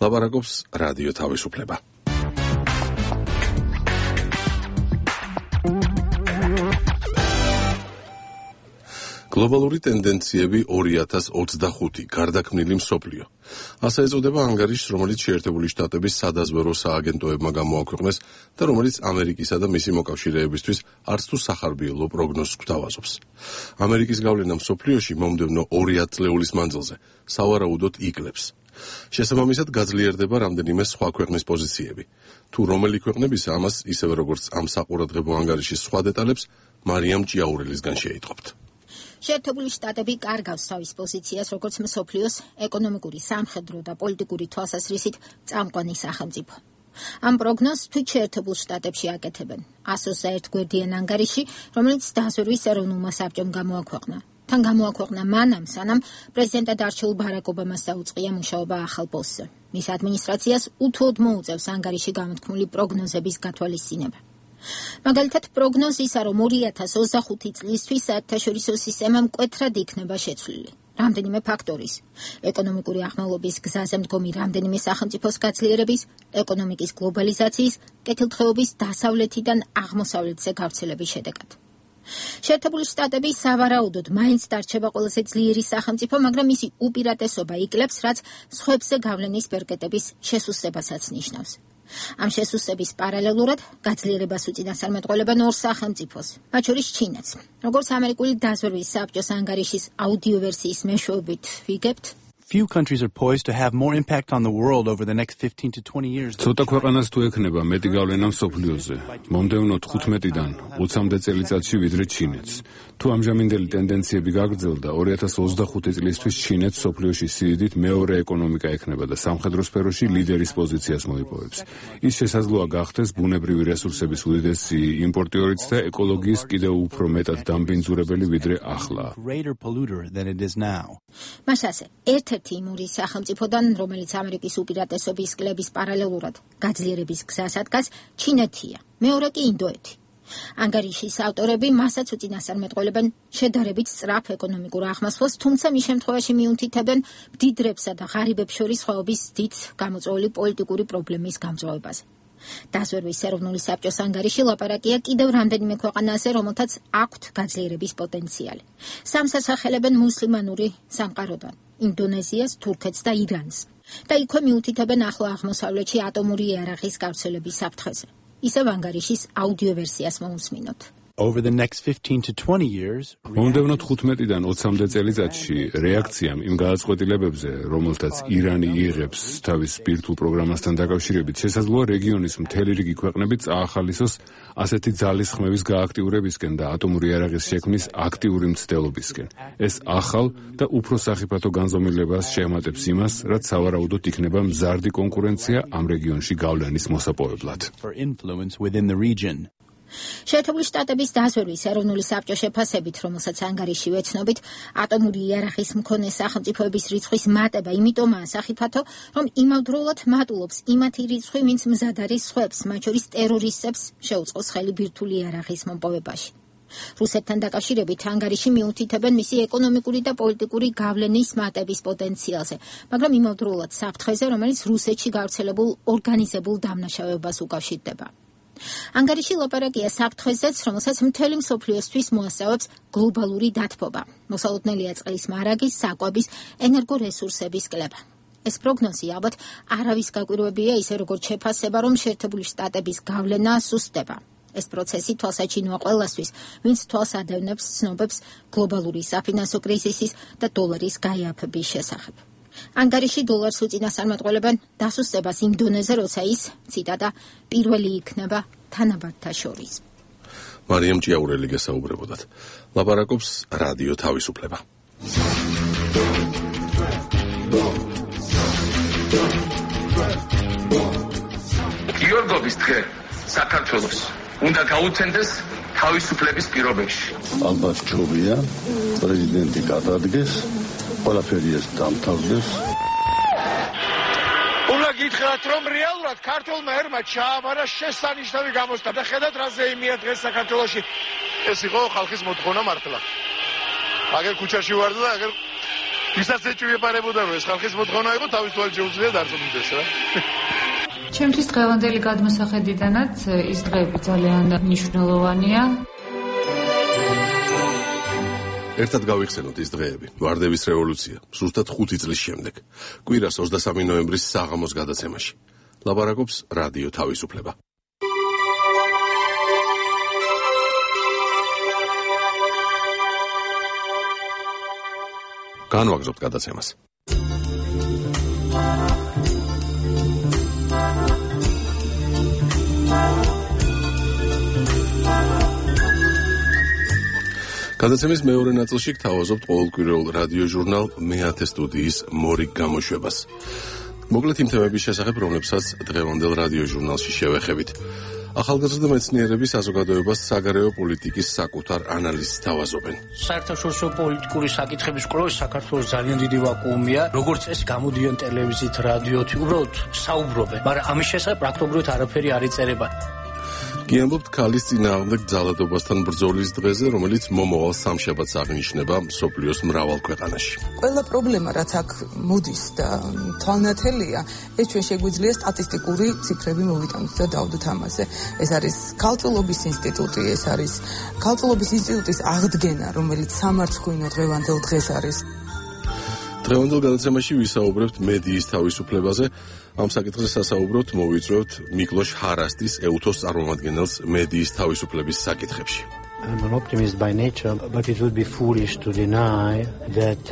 ლაპარაკობს რადიო თავისუფლება. გლობალური ტენდენციები 2025 გარდაქმნილი მსოფლიო. ასე ეწოდება ანგარიშს, რომელიც შეერთებული შტატების სადაზვერო სააგენტოებმა გამოაქვეყნეს და რომელიც ამერიკისა და მისი მოკავშირეებისთვის არც თუ სახარბიელო პროგნოზს გვთავაზობს. ამერიკის გავლენა მსოფლიოში მომდევნო 2 ათწლეულის მანძილზე სავარაუდოდ იკლებს. შესაბამისად გაძლიერდება რამდენიმე სხვა ქვეყნის პოზიციები. თუ რომელი ქვეყნების ამას, ისევე როგორც ამ საყურადღებო ანგარიშის სხვა დეტალებს, მარიამ ჭიაურელისგან შეიტყობთ. შეერთებული შტატები კარგავს თავის პოზიციას როგორც მსოფლიოს ეკონომიკური, სამხედრო და პოლიტიკური თვალსაზრისით წამყვანი სახელმწიფო. ამ პროგნოზს თვით შეერთებულ შტატებში აკეთებენ 121 გვერდიან ანგარიში, რომელიც დაზვერვის ეროვნულმა საბჭომ გამოაქვეყნა. თან გამოაქვეყნა მანამ, სანამ პრეზიდენტად არჩეულ ბარაკ ობამას დაუწყია მუშაობა ახალ პოსტზე. მის ადმინისტრაციას უთუოდ მოუწევს ანგარიში გამოთქმული პროგნოზების გათვალისწინება. მაგალითად, პროგნოზისა, რომ 2025 წლისთვის საერთაშორისო სისტემა მკვეთრად იქნება შეცვლილი. რამდენიმე ფაქტორის: ეკონომიკური აღმავლობის გზაზე მდგომი რამდენიმე სახელმწიფოს გაძლიერების, ეკონომიკის გლობალიზაციის, კეთილდღეობის დასავლეთიდან აღმოსავლეთზე გავრცელების შედეგად. შეერთებული შტატები სავარაუდოდ მაინც დარჩება ყველაზე ძლიერი სახელმწიფო, მაგრამ მისი უპირატესობა იკლებს, რაც სხვებზე გავლენის ბერკეტების შესუსტებასაც ნიშნავს. ამ შესუსტების პარალელურად გაძლიერებას უწინასწარმეტყველებენ 2 სახელმწიფოს, მათ შორის ჩინეთს. როგორც ამერიკული დაზვერვის საბჭოს ანგარიშის აუდიო ვერსიის მეშვეობით ვიგებთ, Few countries are poised to have more impact on the world over the next 15 to 20 years. ცოტა ქვეყანას თუ ექნება მეტი გავლენა მსოფლიოზე, მომდევნო 15-დან 20-მდე წელიწადში ვიდრე ჩინეთს. თუ ამჟამინდელი ტენდენციები გაგრძელდა, 2025 წლისთვის ჩინეთს მსოფლიოში სიდიდით მეორე ეკონომიკა ექნება და სამხედრო სფეროში ლიდერის პოზიციას მოიპოვებს. ის შესაძლოა გახდეს ბუნებრივი რესურსების უდიდესი იმპორტიორიც და ეკოლოგიის კიდევ უფრო მეტად დამბინძურებელი ვიდრე ახლა. მასაზე ერთ-ერთი იმ 2 სახელმწიფოდან, რომელიც ამერიკის უპირატესობის კლების პარალელურად გაძლიერების გზას ადგას, ჩინეთია, მეორე კი ინდოეთი. ანგარიშის ავტორები მასაც უწინასწარმეტყველებენ შედარებით სწრაფ ეკონომიკურ აღმასვლას, თუმცა მის შემთხვევაში მიუთითებენ მდიდრებსა და ღარიბებს შორის სხვაობის დიდ გამოწვეული პოლიტიკური პრობლემის გამწვავებაზე. დაზვერვის ეროვნული საბჭოს ანგარიში ლაპარაკია კიდევ რამდენიმე ქვეყანაზე, რომელთაც აქვთ გაძლიერების პოტენციალი. სამს ასახელებენ მუსლიმანური სამყაროდან, ინდონეზიას, თურქეთს და ირანს. და იქვე მიუთითებენ ახლო აღმოსავლეთში ატომური იარაღის გავრცელების საფრთხეზე. ისევ ანგარიშის აუდიო ვერსიას მოусმინოთ. Over the next 15 to 20 years, მომდევნო 15-დან 20-მდე წელიწადში რეაქციამ იმ გადაწყვეტილებებზე, რომელთაც ირანი იღებს თავის სპირტულ პროგრამასთან დაკავშირებით, შესაძლოა რეგიონის მთელი რიგი ქვეყნები წაახალისოს ასეთი ძალისხმევის გააქტიურებისკენ და ატომური იარაღის შექმნის აქტიური მცდელობისკენ. ეს ახალ და უფრო სახიფათო განზომილებას შეემატებს იმას, რაც სავარაუდოდ იქნება მზარდი კონკურენცია ამ რეგიონში გავლენის მოსაპოვებლად. შეერთებული შტატების დაზვერვის ეროვნული საბჭოს შეფასებით, რომელსაც ანგარიში ვეცნობით, ატომური იარაღის მქონე სახელმწიფოების რიცხვის მატება იმიტომაა სახიფათო, რომ იმავდროულად მატულობს იმათი რიცხვი, ვინც მზად არის სხვებს, მათ შორის ტერორისტებს შეუწყოს ხელი ბირთვული იარაღის მომპოვებაში. რუსეთთან დაკავშირებით ანგარიში მიუთითებენ მისი ეკონომიკური და პოლიტიკური გავლენის მატების პოტენციალზე, მაგრამ იმავდროულად საფრთხეზე, რომელიც რუსეთში გავრცელებულ ორგანიზებულ დამნაშავეობას უკავშირდება. ანგარიში ლაპარაკია საფრთხეზეც, რომელსაც მთელი მსოფლიოსთვის მოასწავებს გლობალური დათბობა, მოსალოდნელია წყლის მარაგის, საკვების, ენერგორესურსების კლება. ეს პროგნოზი ალბათ არავის გაკვირვებია, ისე როგორც შეფასება, რომ შეერთებული შტატების გავლენა სუსტდება. ეს პროცესი თვალსაჩინოა ყველასთვის, ვინც თვალს ადევნებს ცნობებს გლობალური საფინანსო კრიზისის და დოლარის გაიაფების შესახებ. ანგარიში დოლარს უწინასწარმეტყველებენ დასუსტებას იმ დონეზე, როცა ის, ციტატა, პირველი იქნება თანაბართა შორის. მარიამ ჭიაურელი გესაუბრებოდათ. ლაპარაკობს რადიო თავისუფლება. გიორგობის დღე საქართველოს უნდა გაუცემდეს თავისუფლების პირობებში. ალბათ ჯობია პრეზიდენტი გადადგეს, ყველაფერი ეს დამთავრდეს. უნდა გითხრათ, რომ რეალურად ქართულმა ერმა ჩააბარა შესანიშნავი გამოსტა და ხედავთ რა ზეიმია დღეს საქართველოში. ეს იყო ხალხის მოთხოვნა მართლა. აგერ ქუჩაში ვარ და აგერ ვისაც ეჭვიებარებოდა რომ ეს ხალხის მოთხოვნა იყო, თავის თვალით შეუძლია დარწმუნდეს რა. ჩემთვის დღევანდელი გადმოსახედიდანაც ის დღეები ძალიან მნიშვნელოვანია. ერთად გავიხსენოთ ის დღეები. ვარდების რევოლუცია, ზუსტად 5 წლის შემდეგ. კვირას 23 ნოემბრის საღამოს გადაცემაში. ლაპარაკობს რადიო თავისუფლება. განვაგრძობთ გადაცემას. გადაცემის მეორე ნაწილში გთავაზობთ ყოველკვირეულ რადიო ჟურნალ მე-10 სტუდიის მორიგ გამოშვებას. მოკლედ იმ თემების შესახებ, რომლებსაც დღევანდელ რადიო ჟურნალში შევეხებით. ახალგაზრდა მეცნიერები საზოგადოებას საგარეო პოლიტიკის საკუთარ ანალიზს თავაზობენ. საერთაშორისო პოლიტიკური საკითხების კვლევის საქართველოს ძალიან დიდი ვაკუუმია. როგორც წესი გამოდიან ტელევიზიით, რადიოთი, უბრალოდ საუბრობენ, მაგრამ ამის შესახებ პრაქტიკულად არაფერი არ იწერება. გიამბობთ ქალის წინააღმდეგ ძალადობასთან ბრძოლის დღეზე, რომელიც მომავალ სამშაბათს აღინიშნება მსოფლიოს მრავალ ქვეყანაში. ყველა პრობლემა, რაც აქ მოდის და თვალნათელია, ეს ჩვენ შეგვიძლია სტატისტიკური ციფრები მოვიტანოთ და დავდოთ ამაზე. ეს არის ქალწულობის ინსტიტუტი, ეს არის ქალწულობის ინსტიტუტის აღდგენა, რომელიც სამარცხვინო დღევანდელ დღეს არის. დღევანდელ გადაცემაში ვისაუბრებთ მედიის თავისუფლებაზე. ამ საკითხზე სასაუბროთ მოვიწვევთ მიკლოშ ჰარასტის ეუთოს წარმომადგენელს მედიის თავისუფლების საკითხებში. I'm an optimist by nature, but it would be foolish to deny that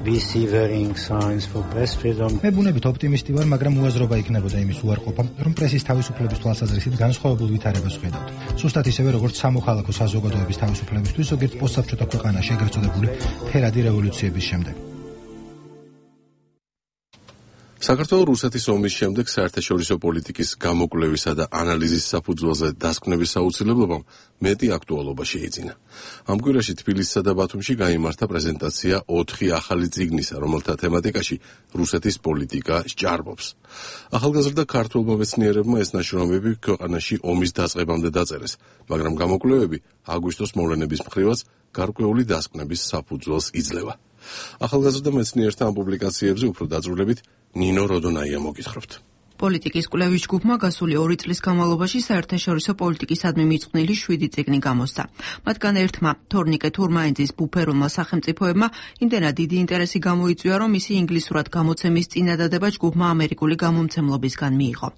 we see varying signs for press freedom. მე ბუნებით ოპტიმისტი ვარ, მაგრამ უაზრობა იქნებოდა იმის უარყოფა, რომ პრესის თავისუფლების თვალსაზრისით განსხვავებულ ვითარებას ვხედავთ. სუსტად ისევე, როგორც სამოქალაქო საზოგადოების თავისუფლებისთვის ზოგიერთ პოსტსაბჭოთა ქვეყანაში ეგრეთ წოდებული ფერადი რევოლუციების შემდეგ. საქართველოს რუსეთის ომის შემდეგ საერთაშორისო პოლიტიკის გამოკვლევისა და ანალიზის საფუძველზე დასკვნების აუცილებლობამ მეტი აქტუალობა შეიძინა. ამ კვირაში თბილისსა და ბათუმში გაიმართა პრეზენტაცია 4 ახალი წიგნისა, რომელთა თემატიკაში რუსეთის პოლიტიკა სჭარბობს. ახალგაზრდა ქართველმა მეცნიერებმა ეს ნაშრომები ქვეყანაში ომის დაწყებამდე დაწერეს, მაგრამ გამოკვლევები აგვისტოს მოვლენების მხრივაც გარკვეული დასკვნების საფუძველს იძლევა. ახალგაზრდა მეცნიერთა ამ პუბლიკაციებზე უფრო დაწვრილებით ნინო როდონაია მოგითხრობთ. პოლიტიკის კვლევის ჯგუფმა გასული 2 წლის განმავლობაში საერთაშორისო პოლიტიკისადმი მიწყვნილი 7 წიგნი გამოსცა. მათგან ერთმა, თორნიკე თურმაინძის ბუფერულმა სახელმწიფოებმა იმდენად დიდი ინტერესი გამოიწვია, რომ მისი ინგლისურად გამოცემის წინადადება ჯგუფმა ამერიკული გამომცემლობისგან მიიღო.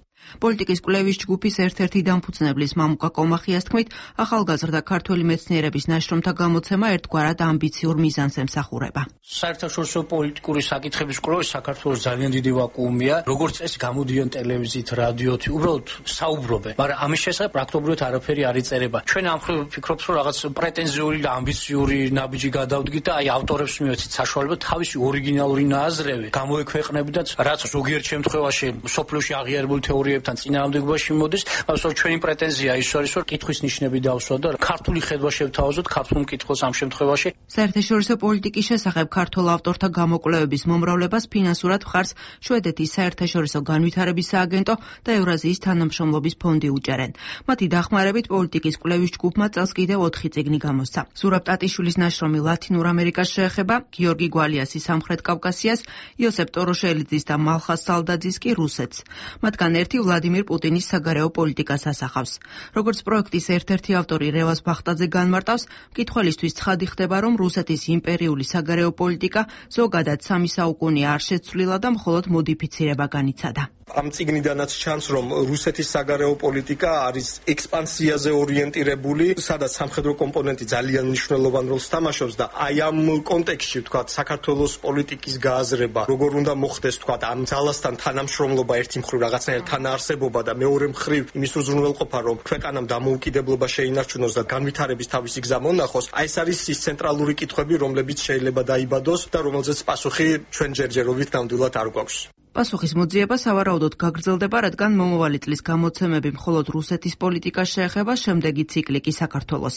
პოლიტიკის კვლევის ჯგუფის ერთ-ერთი დამფუძნებლის მამუკა კომახიას თქმით, ახალგაზრდა ქართველი მეცნიერების ნაშრომთა გამოცემა ერთგვარად ამბიციურ მიზანს ემსახურება. საერთაშორისო პოლიტიკური საკითხების კვლევის საქართველოს ძალიან დიდი ვაკუუმია. როგორც წესი გამოდიან ტელევიზიით, რადიოთი, უბრალოდ საუბრობენ, მაგრამ ამის შესახებ პრაქტიკულად არაფერი არ იწერება. ჩვენ ამ მხრივ ვფიქრობთ, რომ რაღაც პრეტენზიული და ამბიციური ნაბიჯი გადავდგით და აი ავტორებს მივეცით საშუალება თავისი ორიგინალური ნაზრები გამოექვეყნებინათ, რაც ზოგიერთ შემთხვევაში სოფლიოში აღიარებული თეორიებთან წინააღმდეგობაში მოდის, მაგრამ ჩვენი პრეტენზია ის არის, რომ კითხვის ნიშნები დავსვათ და ქართული ხედვა შევთავაზოთ ქართულ მკითხველს ამ შემთხვევაში. საერთაშორისო პოლიტიკის შესახებ ქართულ ავტორთა გამოკვლევების მომრავლებას ფინანსურად მხარს შვედეთის საერთაშორისო განვითარების სააგენტო და ევრაზიის თანამშრომლობის ფონდი უჭერენ. მათი დახმარებით პოლიტიკის კვლევის ჯგუფმა წელს კიდევ 4 წიგნი გამოსცა. ზურაბ ტატიშვილის ნაშრომი ლათინურ ამერიკას შეეხება, გიორგი გვალიასი სამხრეთ კავკასიას, იოსებ ტოროშელიძის და მალხას სალდაძის კი რუსეთს. მათგან ერთი ვლადიმირ პუტინის საგარეო პოლიტიკას ასახავს. როგორც პროექტის ერთ-ერთი ავტორი რევაზ ბახტაძე განმარტავს, მკითხველისთვის ცხადი ხდება, რომ რუსეთის იმპერიული საგარეო პოლიტიკა ზოგადად 3 საუკუნეა არ შეცვლილა და მხოლოდ მოდიფიცირება განიცადა. ამ წიგნიდანაც ჩანს, რომ რუსეთის საგარეო პოლიტიკა არის ექსპანსიაზე ორიენტირებული, სადაც სამხედრო კომპონენტი ძალიან მნიშვნელოვან როლს თამაშობს და აი ამ კონტექსტში, ვთქვათ, საქართველოს პოლიტიკის გააზრება, როგორ უნდა მოხდეს, ვთქვათ, ამ ძალასთან თანამშრომლობა ერთი მხრივ რაღაცნაირად თანაარსებობა და მეორე მხრივ იმის უზრუნველყოფა, რომ ქვეყანამ დამოუკიდებლობა შეინარჩუნოს და განვითარების თავისი გზა მონახოს, აი ეს არის ის ცენტრალური კითხვები, რომლებიც შეიძლება დაიბადოს და რომელზეც პასუხი ჩვენ ჯერჯერობით ნამდვილად არ გვაქვს. პასუხის მოძიება სავარაუდოდ გაგრძელდება, რადგან მომავალი წლის გამოცემები მხოლოდ რუსეთის პოლიტიკას შეეხება, შემდეგი ციკლი კი საქართველოს.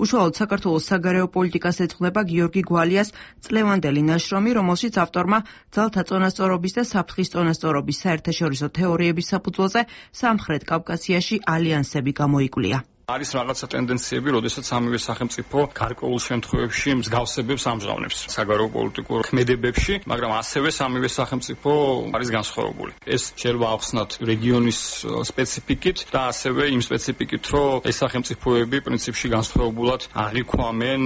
უშუალოდ საქართველოს საგარეო პოლიტიკას ეძღვნება გიორგი გვალიას წლევანდელი ნაშრომი, რომელშიც ავტორმა ძალთა წონასწორობის და საფრთხის წონასწორობის საერთაშორისო თეორიების საფუძველზე სამხრეთ კავკასიაში ალიანსები გამოიკვლია. არის რაღაცა ტენდენციები, როდესაც სამივე სახელმწიფო გარკვეულ შემთხვევებში მსგავსებებს ამჟღავნებს საგარეო პოლიტიკურ ქმედებებში, მაგრამ ასევე სამივე სახელმწიფო არის განსხვავებული. ეს შეიძლება ახსნათ რეგიონის სპეციფიკით და ასევე იმ სპეციფიკით, რომ ეს სახელმწიფოები პრინციპში განსხვავებულად აღიქვამენ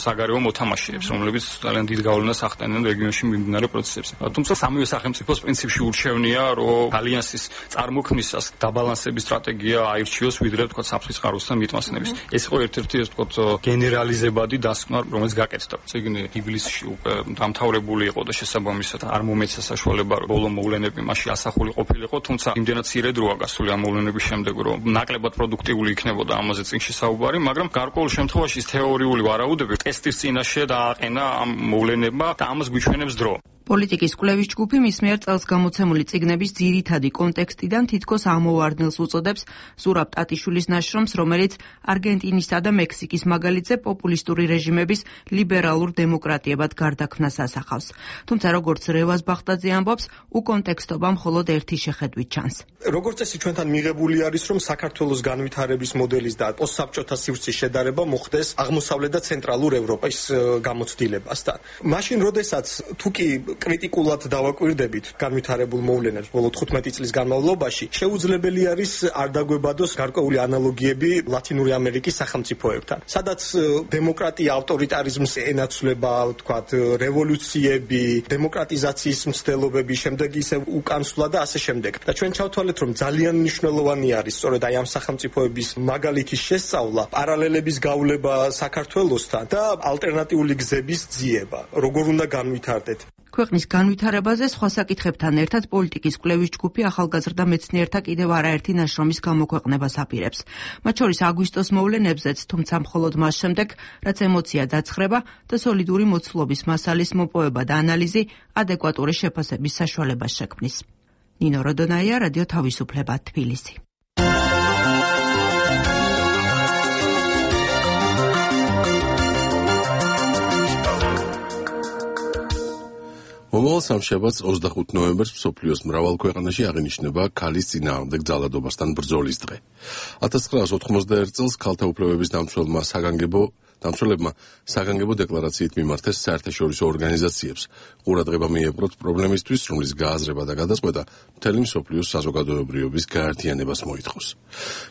საგარეო მოთამაშეებს, რომლებიც ძალიან დიდ გავლენას ახდენენ რეგიონში მიმდინარე პროცესებზე. თუმცა სამივე სახელმწიფოს პრინციპში ურჩევნია, რომ ალიანსის წარმოქმნისას დაბალანსების სტრატეგია აირჩიოს, ვიდრე თქვა საფრთხის წყაროს მიტმასნების. ეს იყო ერთ-ერთი ეს თქო გენერალიზებადი დასკვნა, რომელიც გაკეთდა. წიგნი ივლისში უკვე დამთავრებული იყო და შესაბამისად არ მომეცა საშუალება ბოლო მოვლენები მასში ასახული ყოფილიყო, თუმცა იმდენად მცირე დროა გასული ამ მოვლენების შემდეგ, რომ ნაკლებად პროდუქტიული იქნებოდა ამაზე წიგნში საუბარი, მაგრამ გარკვეულ შემთხვევაში ის თეორიული ვარაუდები ტესტის წინაშე დააყენა ამ მოვლენებმა და ამას გვიჩვენებს დრო. პოლიტიკის კვლევის ჯგუფი მის მიერ წელს გამოცემული წიგნების ძირითადი კონტექსტიდან თითქოს ამოვარდნილს უწოდებს ზურაბ ტატიშვილის ნაშრომს, რომელიც არგენტინისა და მექსიკის მაგალითზე პოპულისტური რეჟიმების ლიბერალურ დემოკრატიებად გარდაქმნას ასახავს. თუმცა როგორც რევაზ ბახტაძე ამბობს, უკონტექსტობა მხოლოდ ერთი შეხედვით ჩანს. როგორც წესი ჩვენთან მიღებული არის, რომ საქართველოს განვითარების მოდელის და პოსტსაბჭოთა სივრცის შედარება მოხდეს აღმოსავლეთ და ცენტრალურ ევროპის გამოცდილებასთან. მაშინ, როდესაც თუკი კრიტიკულად დავაკვირდებით განვითარებულ მოვლენებს ბოლო 15 წლის განმავლობაში, შეუძლებელი არის არ დაგვებადოს გარკვეული ანალოგიები ლათინური ამერიკის სახელმწიფოებთან, სადაც დემოკრატია ავტორიტარიზმს ენაცვლება, ვთქვათ, რევოლუციები, დემოკრატიზაციის მცდელობები, შემდეგ ისე უკანსვლა და ასე შემდეგ. და ჩვენ ჩავთვალეთ, რომ ძალიან მნიშვნელოვანი არის სწორედ აი ამ სახელმწიფოების მაგალითის შესწავლა, პარალელების გავლება საქართველოსთან და ალტერნატიული გზების ძიება, როგორ უნდა განვითარდეთ. ქვეყნის განვითარებაზე სხვა საკითხებთან ერთად პოლიტიკის კვლევის ჯგუფი ახალგაზრდა მეცნიერთა კიდევ არაერთი ნაშრომის გამოქვეყნებას აპირებს. მათ შორის აგვისტოს მოვლენებზეც, თუმცა მხოლოდ მას შემდეგ, რაც ემოცია დაცხრება და სოლიდური მოცულობის მასალის მოპოვება და ანალიზი ადეკვატური შეფასების საშუალებას შექმნის. ნინო როდონაია, რადიო თავისუფლება, თბილისი. მომავალ სამშაბათს 25 ნოემბერს მსოფლიოს მრავალ ქვეყანაში აღინიშნება ქალის წინააღმდეგ ძალადობასთან ბრძოლის დღე. 1991 წელს ქალთა უფლებების დამცველებმა საგანგებო დეკლარაციით მიმართეს საერთაშორისო ორგანიზაციებს. ყურადღება მიეპყროთ პრობლემისთვის, რომლის გააზრება და გადაწყვეტა მთელი მსოფლიოს საზოგადოებრივობის გაერთიანებას მოითხოვს.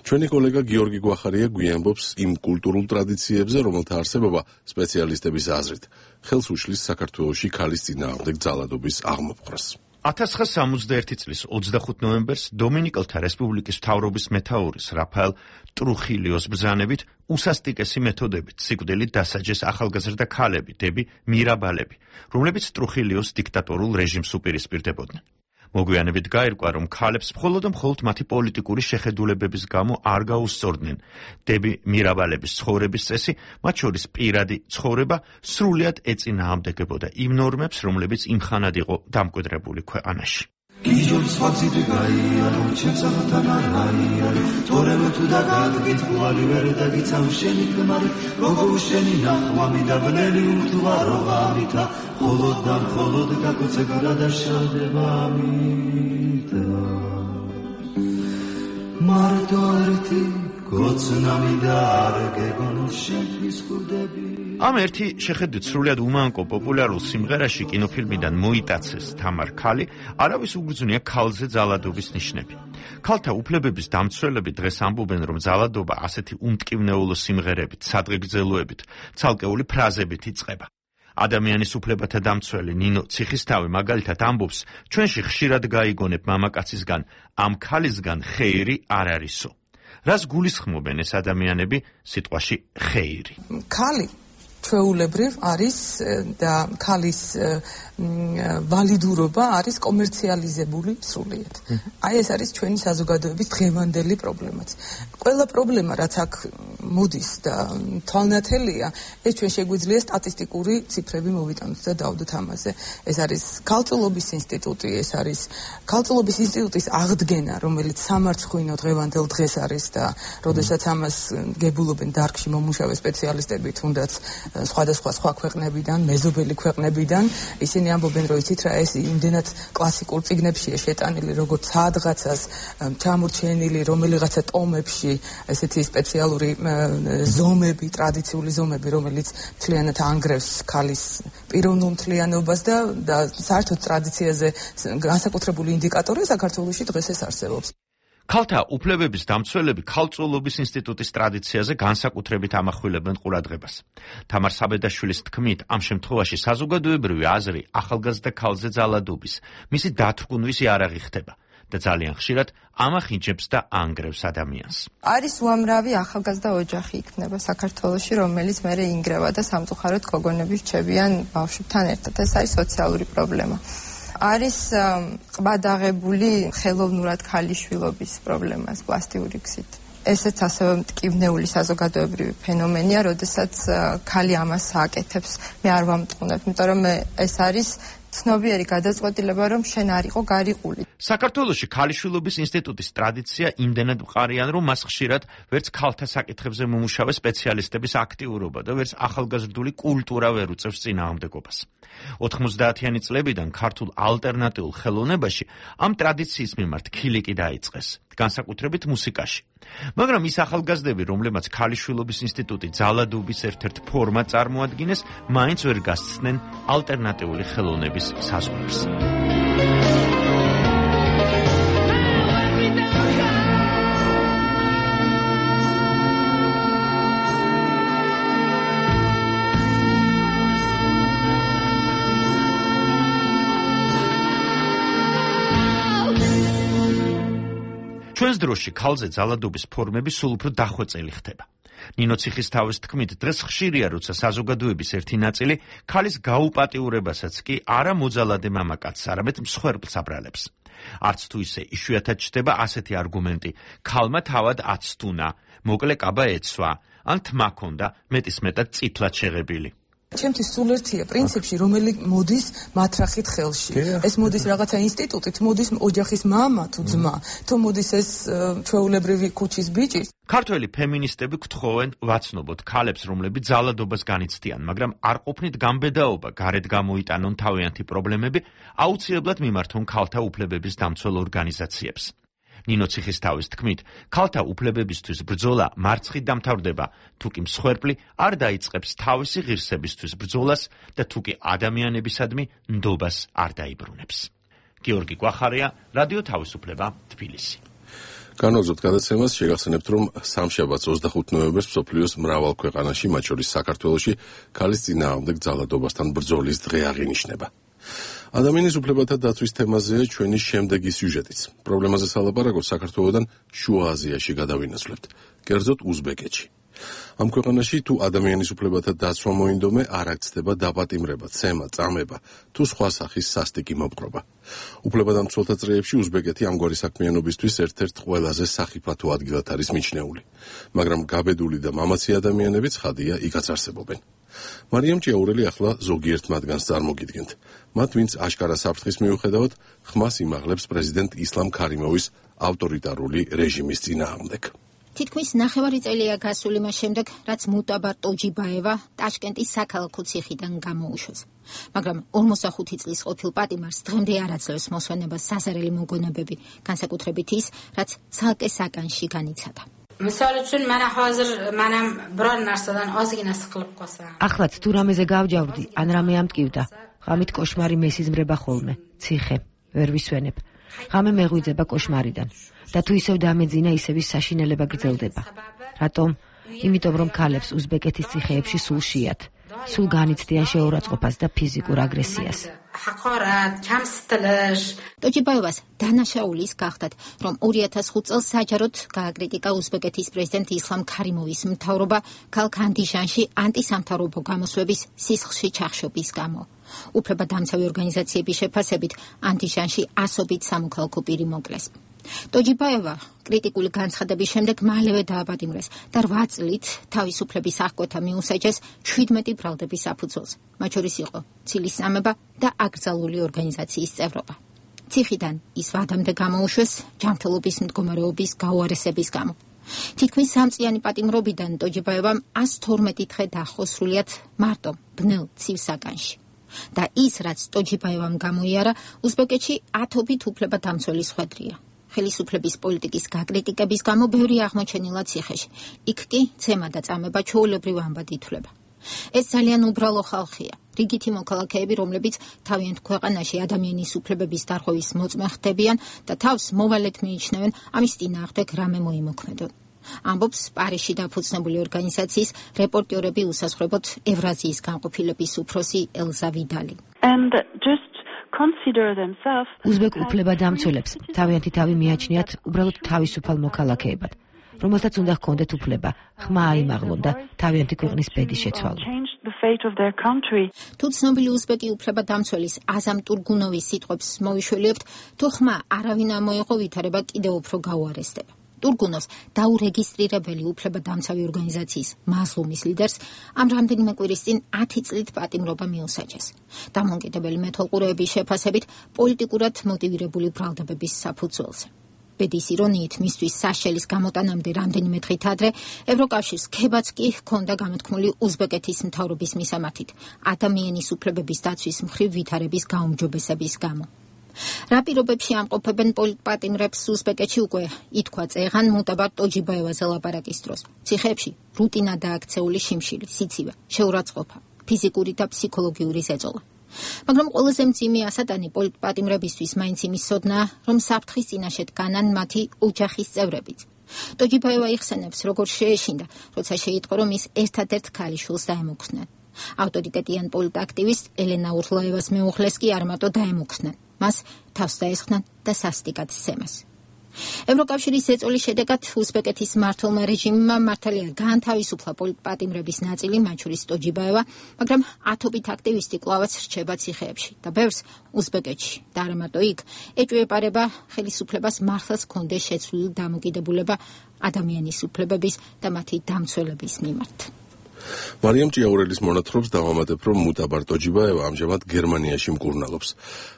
ჩვენი კოლეგა გიორგი გვახარია გვიამბობს იმ კულტურულ ტრადიციებზე, რომელთა არსებობა სპეციალისტების აზრით ხელს უშლის საქართველოში ქალის წინააღმდეგ ძალადობის აღმოფხვრას. 1961 წლის 25 ნოემბერს დომინიკელთა რესპუბლიკის მთავრობის მეთაურის რაფაელ ტრუხილიოს ბრძანებით უსასტიკესი მეთოდებით სიკვდილით დასაჯეს ახალგაზრდა ქალები, დები მირაბალები, რომლებიც ტრუხილიოს დიქტატორულ რეჟიმს უპირისპირდებოდნენ. მოგვიანებით გაირკვა, რომ ქალებს მხოლოდ და მხოლოდ მათი პოლიტიკური შეხედულებების გამო არ გაუსწორდნენ. დები მირაბალების ცხოვრების წესი, მათ შორის პირადი ცხოვრება, სრულიად ეწინააღმდეგებოდა იმ ნორმებს, რომლებიც იმხანად იყო დამკვიდრებული ქვეყანაში. გიჟობს ხაცით გაიარო ჩემსახთან არაიარო თორემ თუ დაგაგიტყვალი ვერ დაგიცავ შენი ქმარი როგორ შენი ნახვამი და ბნელი უთვაროღამითა холод და холод გაკოცე გადაშალდება მითა მარტო ერთი გოცნამი და არ გეგონო შენთვის ხურდები. ამ ერთი შეხედვით სრულიად უმანკო პოპულარულ სიმღერაში კინოფილმიდან მოიტაცეს თამარ ქალი არავის უგრძნია ქალზე ძალადობის ნიშნები. ქალთა უფლებების დამცველები დღეს ამბობენ, რომ ძალადობა ასეთი უმტკივნეულო სიმღერებით, სადღეგრძელოებით, ცალკეული ფრაზებით იწყება. ადამიანის უფლებათა დამცველი ნინო ციხისთავი მაგალითად ამბობს, ჩვენში ხშირად გაიგონებ მამაკაცისგან, ამ ქალისგან ხეირი არ არისო. რას გულისხმობენ ეს ადამიანები სიტყვაში ხეირი? ქალი ჩვეულებრივ არის და ქალის ვალიდურობა არის კომერციალიზებული სრულიად. აი ეს არის ჩვენი საზოგადოების დღევანდელი პრობლემაც. ყველა პრობლემა რაც აქ მოდის და თვალნათელია, ეს ჩვენ შეგვიძლია სტატისტიკური ციფრები მოვიტანოთ და დავდოთ ამაზე. ეს არის ქალწულობის ინსტიტუტი, ეს არის ქალწულობის ინსტიტუტის აღდგენა, რომელიც სამარცხვინო დღევანდელ დღეს არის და როდესაც ამას გებულობენ დარგში მომუშავე სპეციალისტები, თუნდაც სხვადასხვა სხვა ქვეყნებიდან, მეზობელი ქვეყნებიდან, ისინი ამბობენ, რომ იცით რა, ეს იმდენად კლასიკურ წიგნებშია შეტანილი, როგორც სადღაცას ჩამორჩენილი რომელიღაცა ტომებში, ესეთი სპეციალური ზომები, ტრადიციული ზომები, რომელიც მთლიანად ანგრევს ქალის პიროვნულ მთლიანობას და საერთოდ ტრადიციაზე განსაკუთრებული ინდიკატორი საქართველოში დღეს ეს არსებობს. ქალთა უფლებების დამცველები ქალწულობის ინსტიტუტის ტრადიციაზე განსაკუთრებით ამახვილებენ ყურადღებას. თამარ საბედაშვილის თქმით, ამ შემთხვევაში საზოგადოებრივი აზრი ახალგაზრდა ქალზე ძალადობის, მისი დათრგუნვისი არ აღიხდება და ძალიან ხშირად ამახინჯებს და ანგრევს ადამიანს. არის უამრავი ახალგაზრდა ოჯახი იქნება საქართველოში, რომელიც მერე ინგრევა და სამწუხაროდ გოგონები რჩებიან ბავშვებთან ერთად. ეს არის სოციალური პრობლემა. არის ყბადაღებული ხელოვნურად ქალიშვილობის პრობლემას პლასტიკური გზით. ესეც ასევე მტკივნეული საზოგადოებრივი ფენომენია, როდესაც ქალი ამას აკეთებს. მე არ ვამტყუნებ, იმიტომ რომ ეს არის ცნობიერი გადაწყვეტილება, რომ შენ არ იყო გარიყული. საქართველოში ქალიშვილობის ინსტიტუტის ტრადიცია იმდენად მყარიან, რომ მას ხშირად ვერც ქალთა საკითხებზე მომუშავე სპეციალისტების აქტიურობა და ვერც ახალგაზრდული კულტურა ვერ უწევს წინააღმდეგობას. 90-იანი წლებიდან ქართულ ალტერნატიულ ხელოვნებაში ამ ტრადიციის მიმართ ქილიკი დაიწყეს, განსაკუთრებით მუსიკაში. მაგრამ ის ახალგაზრდები, რომლებმაც ქალიშვილობის ინსტიტუტი ძალადობის ერთ-ერთ ფორმად წარმოადგენს, მაინც ვერ გასცდნენ ალტერნატიული ხელოვნების საზღვრებს. ჩვენს დროში ქალზე ძალადობის ფორმები სულ უფრო დახვეწილი ხდება. ნინო ციხისთავის თქმით, დღეს ხშირია, როცა საზოგადოების ერთი ნაწილი ქალის გაუპატიურებასაც კი არა მოძალადე მამაკაცს, არამედ მსხვერპლს აბრალებს. არც თუ ისე იშვიათად ჩნდება ასეთი არგუმენტი: ქალმა თავად აცთუნა, მოკლე კაბა ეცვა, ან თმა ჰქონდა, მეტისმეტად წითლად შეღებილი. ჩემთვის სულ ერთია პრინციპში, რომელიც მოდის მათრახით ხელში. ეს მოდის რაღაცა ინსტიტუტით, მოდის ოჯახის მამა თუ ძმა, თუ მოდის ეს ჩვეულებრივი ქუჩის ბიჭი. ქართველი ფემინისტები გთხოვენ ვაცნობოთ ქალებს, რომლებიც ძალადობას განიცდიან, მაგრამ არ ყოფნით გამბედაობა, გარეთ გამოიტანონ თავიანთი პრობლემები, აუცილებლად მიმართონ ქალთა უფლებების დამცველ ორგანიზაციებს. ნინო ციხისთავის თქმით, ქალთა უფლებებისთვის ბრძოლა მარცხით დამთავრდება, თუკი მსხვერპლი არ დაიწყებს თავისი ღირსებისთვის ბრძოლას და თუკი ადამიანებისადმი ნდობას არ დაიბრუნებს. გიორგი კვახარია, რადიო თავისუფლება, თბილისი. განვაგრძოთ გადაცემას, შეგახსენებთ, რომ სამშაბათს 25 ნოემბერს მსოფლიოს მრავალ ქვეყანაში, მათ შორის საქართველოში, ქალის წინააღმდეგ ძალადობასთან ბრძოლის დღე აღინიშნება. ადამიანის უფლებათა დაცვის თემაზეა ჩვენი შემდეგი სიუჟეტიც. პრობლემაზე სალაპარაკოთ საქართველოდან შუა აზიაში გადავინაცვლებთ, კერძოდ უზბეკეთში. ამ ქვეყანაში თუ ადამიანის უფლებათა დაცვა მოინდომე, არ აქცდება დაპატიმრება, ცემა, წამება თუ სხვა სახის სასტიკი მოპყრობა. უფლებადამცველთა წრეებში უზბეკეთი ამგვარი საქმიანობისთვის ერთ-ერთ ყველაზე სახიფათო ადგილად არის მიჩნეული, მაგრამ გაბედული და მამაცი ადამიანები ცხადია იქაც არსებობენ. მარიამ ჭიაურელი ახლა ზოგიერთ მათგანს წარმოგიდგენთ. მათ, ვინც აშკარა საფრთხის მიუხედავად ხმას იმაღლებს პრეზიდენტ ისლამ ქარიმოვის ავტორიტარული რეჟიმის წინააღმდეგ. თითქმის ნახევარი წელია გასული მას შემდეგ, რაც მუტაბარ ტოჯიბაევა ტაშკენტის საქალაქო ციხიდან გამოუშვეს. მაგრამ 45 წლის ყოფილ პატიმარს დღემდე არ აძლევს მოსვენებას საზარელი მოგონებები, განსაკუთრებით ის, რაც ცალკე საკანში განიცადა. ახლაც თუ რამეზე გავჯავდი, ან რამე ამტკივდა, ღამით კოშმარი მესიზმრება ხოლმე, ციხე, ვერ ვისვენებ. ღამე მეღვიძება კოშმარიდან და თუ ისევ დამეძინა, ისევ ის საშინელება გრძელდება. რატომ? იმიტომ რომ ქალებს უზბეკეთის ციხეებში სულ შეათ. სულ განიცდიან შეურაცხყოფას და ფიზიკურ აგრესიას. ტოჯიბაევას დანაშაულის გახდათ, რომ 2005 წელს საჯაროდ გააკრიტიკა უზბეკეთის პრეზიდენტ ისლამ ქარიმოვის მთავრობა ქალაქ ანდიჟანში ანტისამთავრობო გამოსვლების სისხლში ჩახშობის გამო. უფლებადამცავი ორგანიზაციების შეფასებით ანდიჟანში ასობით სამოქალაქო პირი მოკლეს. ტოჯიბაევა კრიტიკული განცხადების შემდეგ მალევე დააპატიმრეს და 8 წლით თავისუფლების აღკვეთა მიუსაჯეს 17 ბრალდების საფუძველს, მათ შორის იყო ცილისწამება და აკრძალული ორგანიზაციის წევრობა. ციხიდან ის ვადამდე გამოუშვეს ჯანმრთელობის მდგომარეობის გაუარესების გამო. თითქმის 3 წლიანი პატიმრობიდან ტოჯიბაევამ 112 დღე დაახო სრულიად მარტო ბნელ ცივ საგანში. და ის, რაც ტოჯიბაევამ გამოიარა, უზბეკეთში ათობით უფლებადამცველი ხვედრია. ხელისუფლების პოლიტიკის გაკრიტიკების გამო ბევრი აღმოჩენილა ციხეში. იქ კი ცემა და წამება ჩვეულებრივ ამბად ითვლება. ეს ძალიან უბრალო ხალხია. რიგითი მოქალაქეები, რომლებიც თავიანთ ქვეყანაში ადამიანის უფლებების დარღვევის მოწმე ხდებიან და თავს მოვალედ მიიჩნევენ ამის წინააღმდეგ რამე მოიმოქმედონ. ამბობს პარიზში დაფუძნებული ორგანიზაციის რეპორტიორები უსაზღვრებოდ ევრაზიის განყოფილების უფროსი ელზა ვიდალი. უზბეკ უფლებადამცველებს თავიანთი თავი მიაჩნიათ უბრალოდ თავისუფალ მოქალაქეებად, რომელთაც უნდა ჰქონდეთ უფლება ხმა აიმაღლონ და თავიანთი ქვეყნის ბედი შეცვალონ. თუ ცნობილი უზბეკი უფლებადამცველის აზამ ტურგუნოვის სიტყვებს მოვიშველიებთ, თუ ხმა არავინ ამოიღო, ვითარება კიდევ უფრო გაუარესდება. ტურგუნოვს დაურეგისტრირებელი უფლებადამცავი ორგანიზაციის მაზლუმის ლიდერს ამ რამდენიმე კვირის წინ 10 წლით პატიმრობა მიუსაჯეს. დამოუკიდებელი მეთვალყურეების შეფასებით პოლიტიკურად მოტივირებული ბრალდებების საფუძველზე. ბედის ირონიით, მისთვის საშელის გამოტანამდე რამდენიმე დღით ადრე ევროკავშირს ქებაც კი ჰქონდა გამოთქმული უზბეკეთის მთავრობის მისამართით ადამიანის უფლებების დაცვის მხრივ ვითარების გაუმჯობესების გამო. რა პირობებში ამყოფებენ პოლიტპატიმრებს უზბეკეთში უკვე ითქვა წეღან მუტაბარ ტოჯიბაევაზე ლაპარაკის დროს. ციხეებში რუტინადაა აქცეული შიმშილი, სიცივე, შეურაცხყოფა, ფიზიკური და ფსიქოლოგიური ზეწოლა. მაგრამ ყველაზე მძიმე ასატანი პოლიტპატიმრებისთვის მაინც იმის სოდნაა, რომ საფრთხის წინაშე დგანან მათი ოჯახის წევრებიც. ტოჯიბაევა იხსენებს, როგორ შეეშინდა, როცა შეიტყო, რომ ის ერთადერთ ქალიშვილს დაემუქრნენ. ავტორიტეტიან პოლიტაქტივისტ ელენა ურლაევას მეუღლეს კი არ მარტო დაემუქრნენ, მას თავს დაესხნენ და სასტიკად სცემეს. ევროკავშირის ზეწოლის შედეგად უზბეკეთის მმართველმა რეჟიმმა მართალია გაანთავისუფლა პოლიტპატიმრების ნაწილი, მათ შორის ტოჯიბაევა, მაგრამ ათობით აქტივისტი კვლავაც რჩება ციხეებში და ბევრს უზბეკეთში და არა მარტო იქ ეჭვეპარება ხელისუფლებას მართლაც ჰქონდეს შეცვლილი დამოკიდებულება ადამიანის უფლებების და მათი დამცველების მიმართ. მარიამ ჭიაურელის მონათხრობს დავამატებ, რომ მუტაბარ ტოჯიბაევა ამჟამად გერმანიაში მკურნალობს,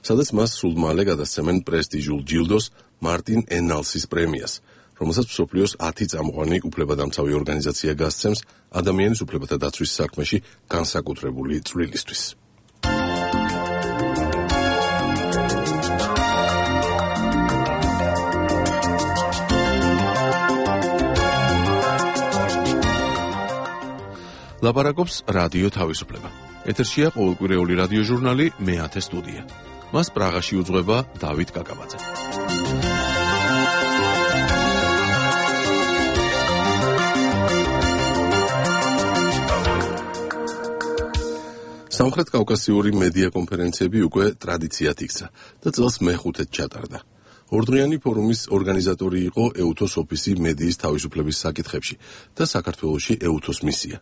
სადაც მას სულ მალე გადასცემენ პრესტიჟულ ჯილდოს მარტინ ენალსის პრემიას, რომელსაც მსოფლიოს 10 წამყვანი უფლებადამცავი ორგანიზაცია გასცემს ადამიანის უფლებათა დაცვის საქმეში განსაკუთრებული წვლილისთვის. ლაპარაკობს რადიო თავისუფლება. ეთერშია ყოველკვირეული რადიო ჟურნალი მე-10 სტუდია. მას პრაღაში უძღვება დავით კაკაბაძე. სამხრეთ კავკასიური მედია კონფერენციები უკვე ტრადიციად იქცა და წელს მე-5-ად ჩატარდა. ორდღიანი ფორუმის ორგანიზატორი იყო ეუთოს ოფისი მედიის თავისუფლების საკითხებში და საქართველოში ეუთოს მისია.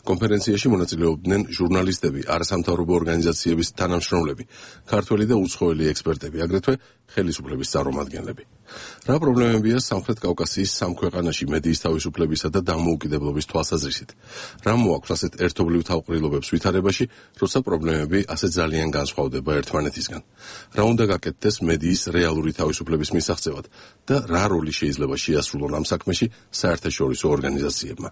კონფერენციაში მონაწილეობდნენ ჟურნალისტები, არასამთავრობო ორგანიზაციების თანამშრომლები, ქართველი და უცხოელი ექსპერტები, აგრეთვე ხელისუფლების წარმომადგენლები. რა პრობლემებია სამხრეთ კავკასიის სამ ქვეყანაში მედიის თავისუფლებისა და დამოუკიდებლობის თვალსაზრისით? რა მოაქვს ასეთ ერთობლივ თავყრილობებს ვითარებაში, როცა პრობლემები ასე ძალიან განსხვავდება ერთმანეთისგან? რა უნდა გაკეთდეს მედიის რეალური თავისუფლების მისაღწევად და რა როლი შეიძლება შეასრულონ ამ საქმეში საერთაშორისო ორგანიზაციებმა?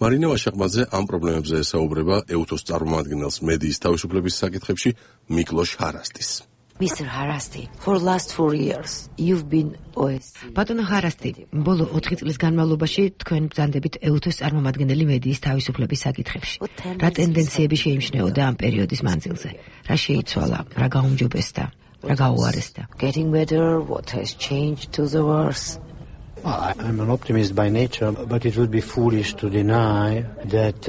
მარინა ვაშაყმაძე ამ პრობლემებზე ესაუბრება ეუთოს წარმომადგენელს მედიის თავისუფლების საკითხებში მიკლოშ ჰარასტის. Mr. Harasti, for last 4 years you've been OSCE. ბატონო ჰარასტი, ბოლო 4 წლის განმავლობაში თქვენ ბრძანდებით ეუთოს წარმომადგენელი მედიის თავისუფლების საკითხებში. რა ტენდენციები შეიმჩნეოდა ამ პერიოდის მანძილზე? რა შეიცვალა, რა გაუმჯობესდა, რა გაუარესდა? Getting better, what has changed to the worse? I'm an optimist by nature, but it would be foolish to deny that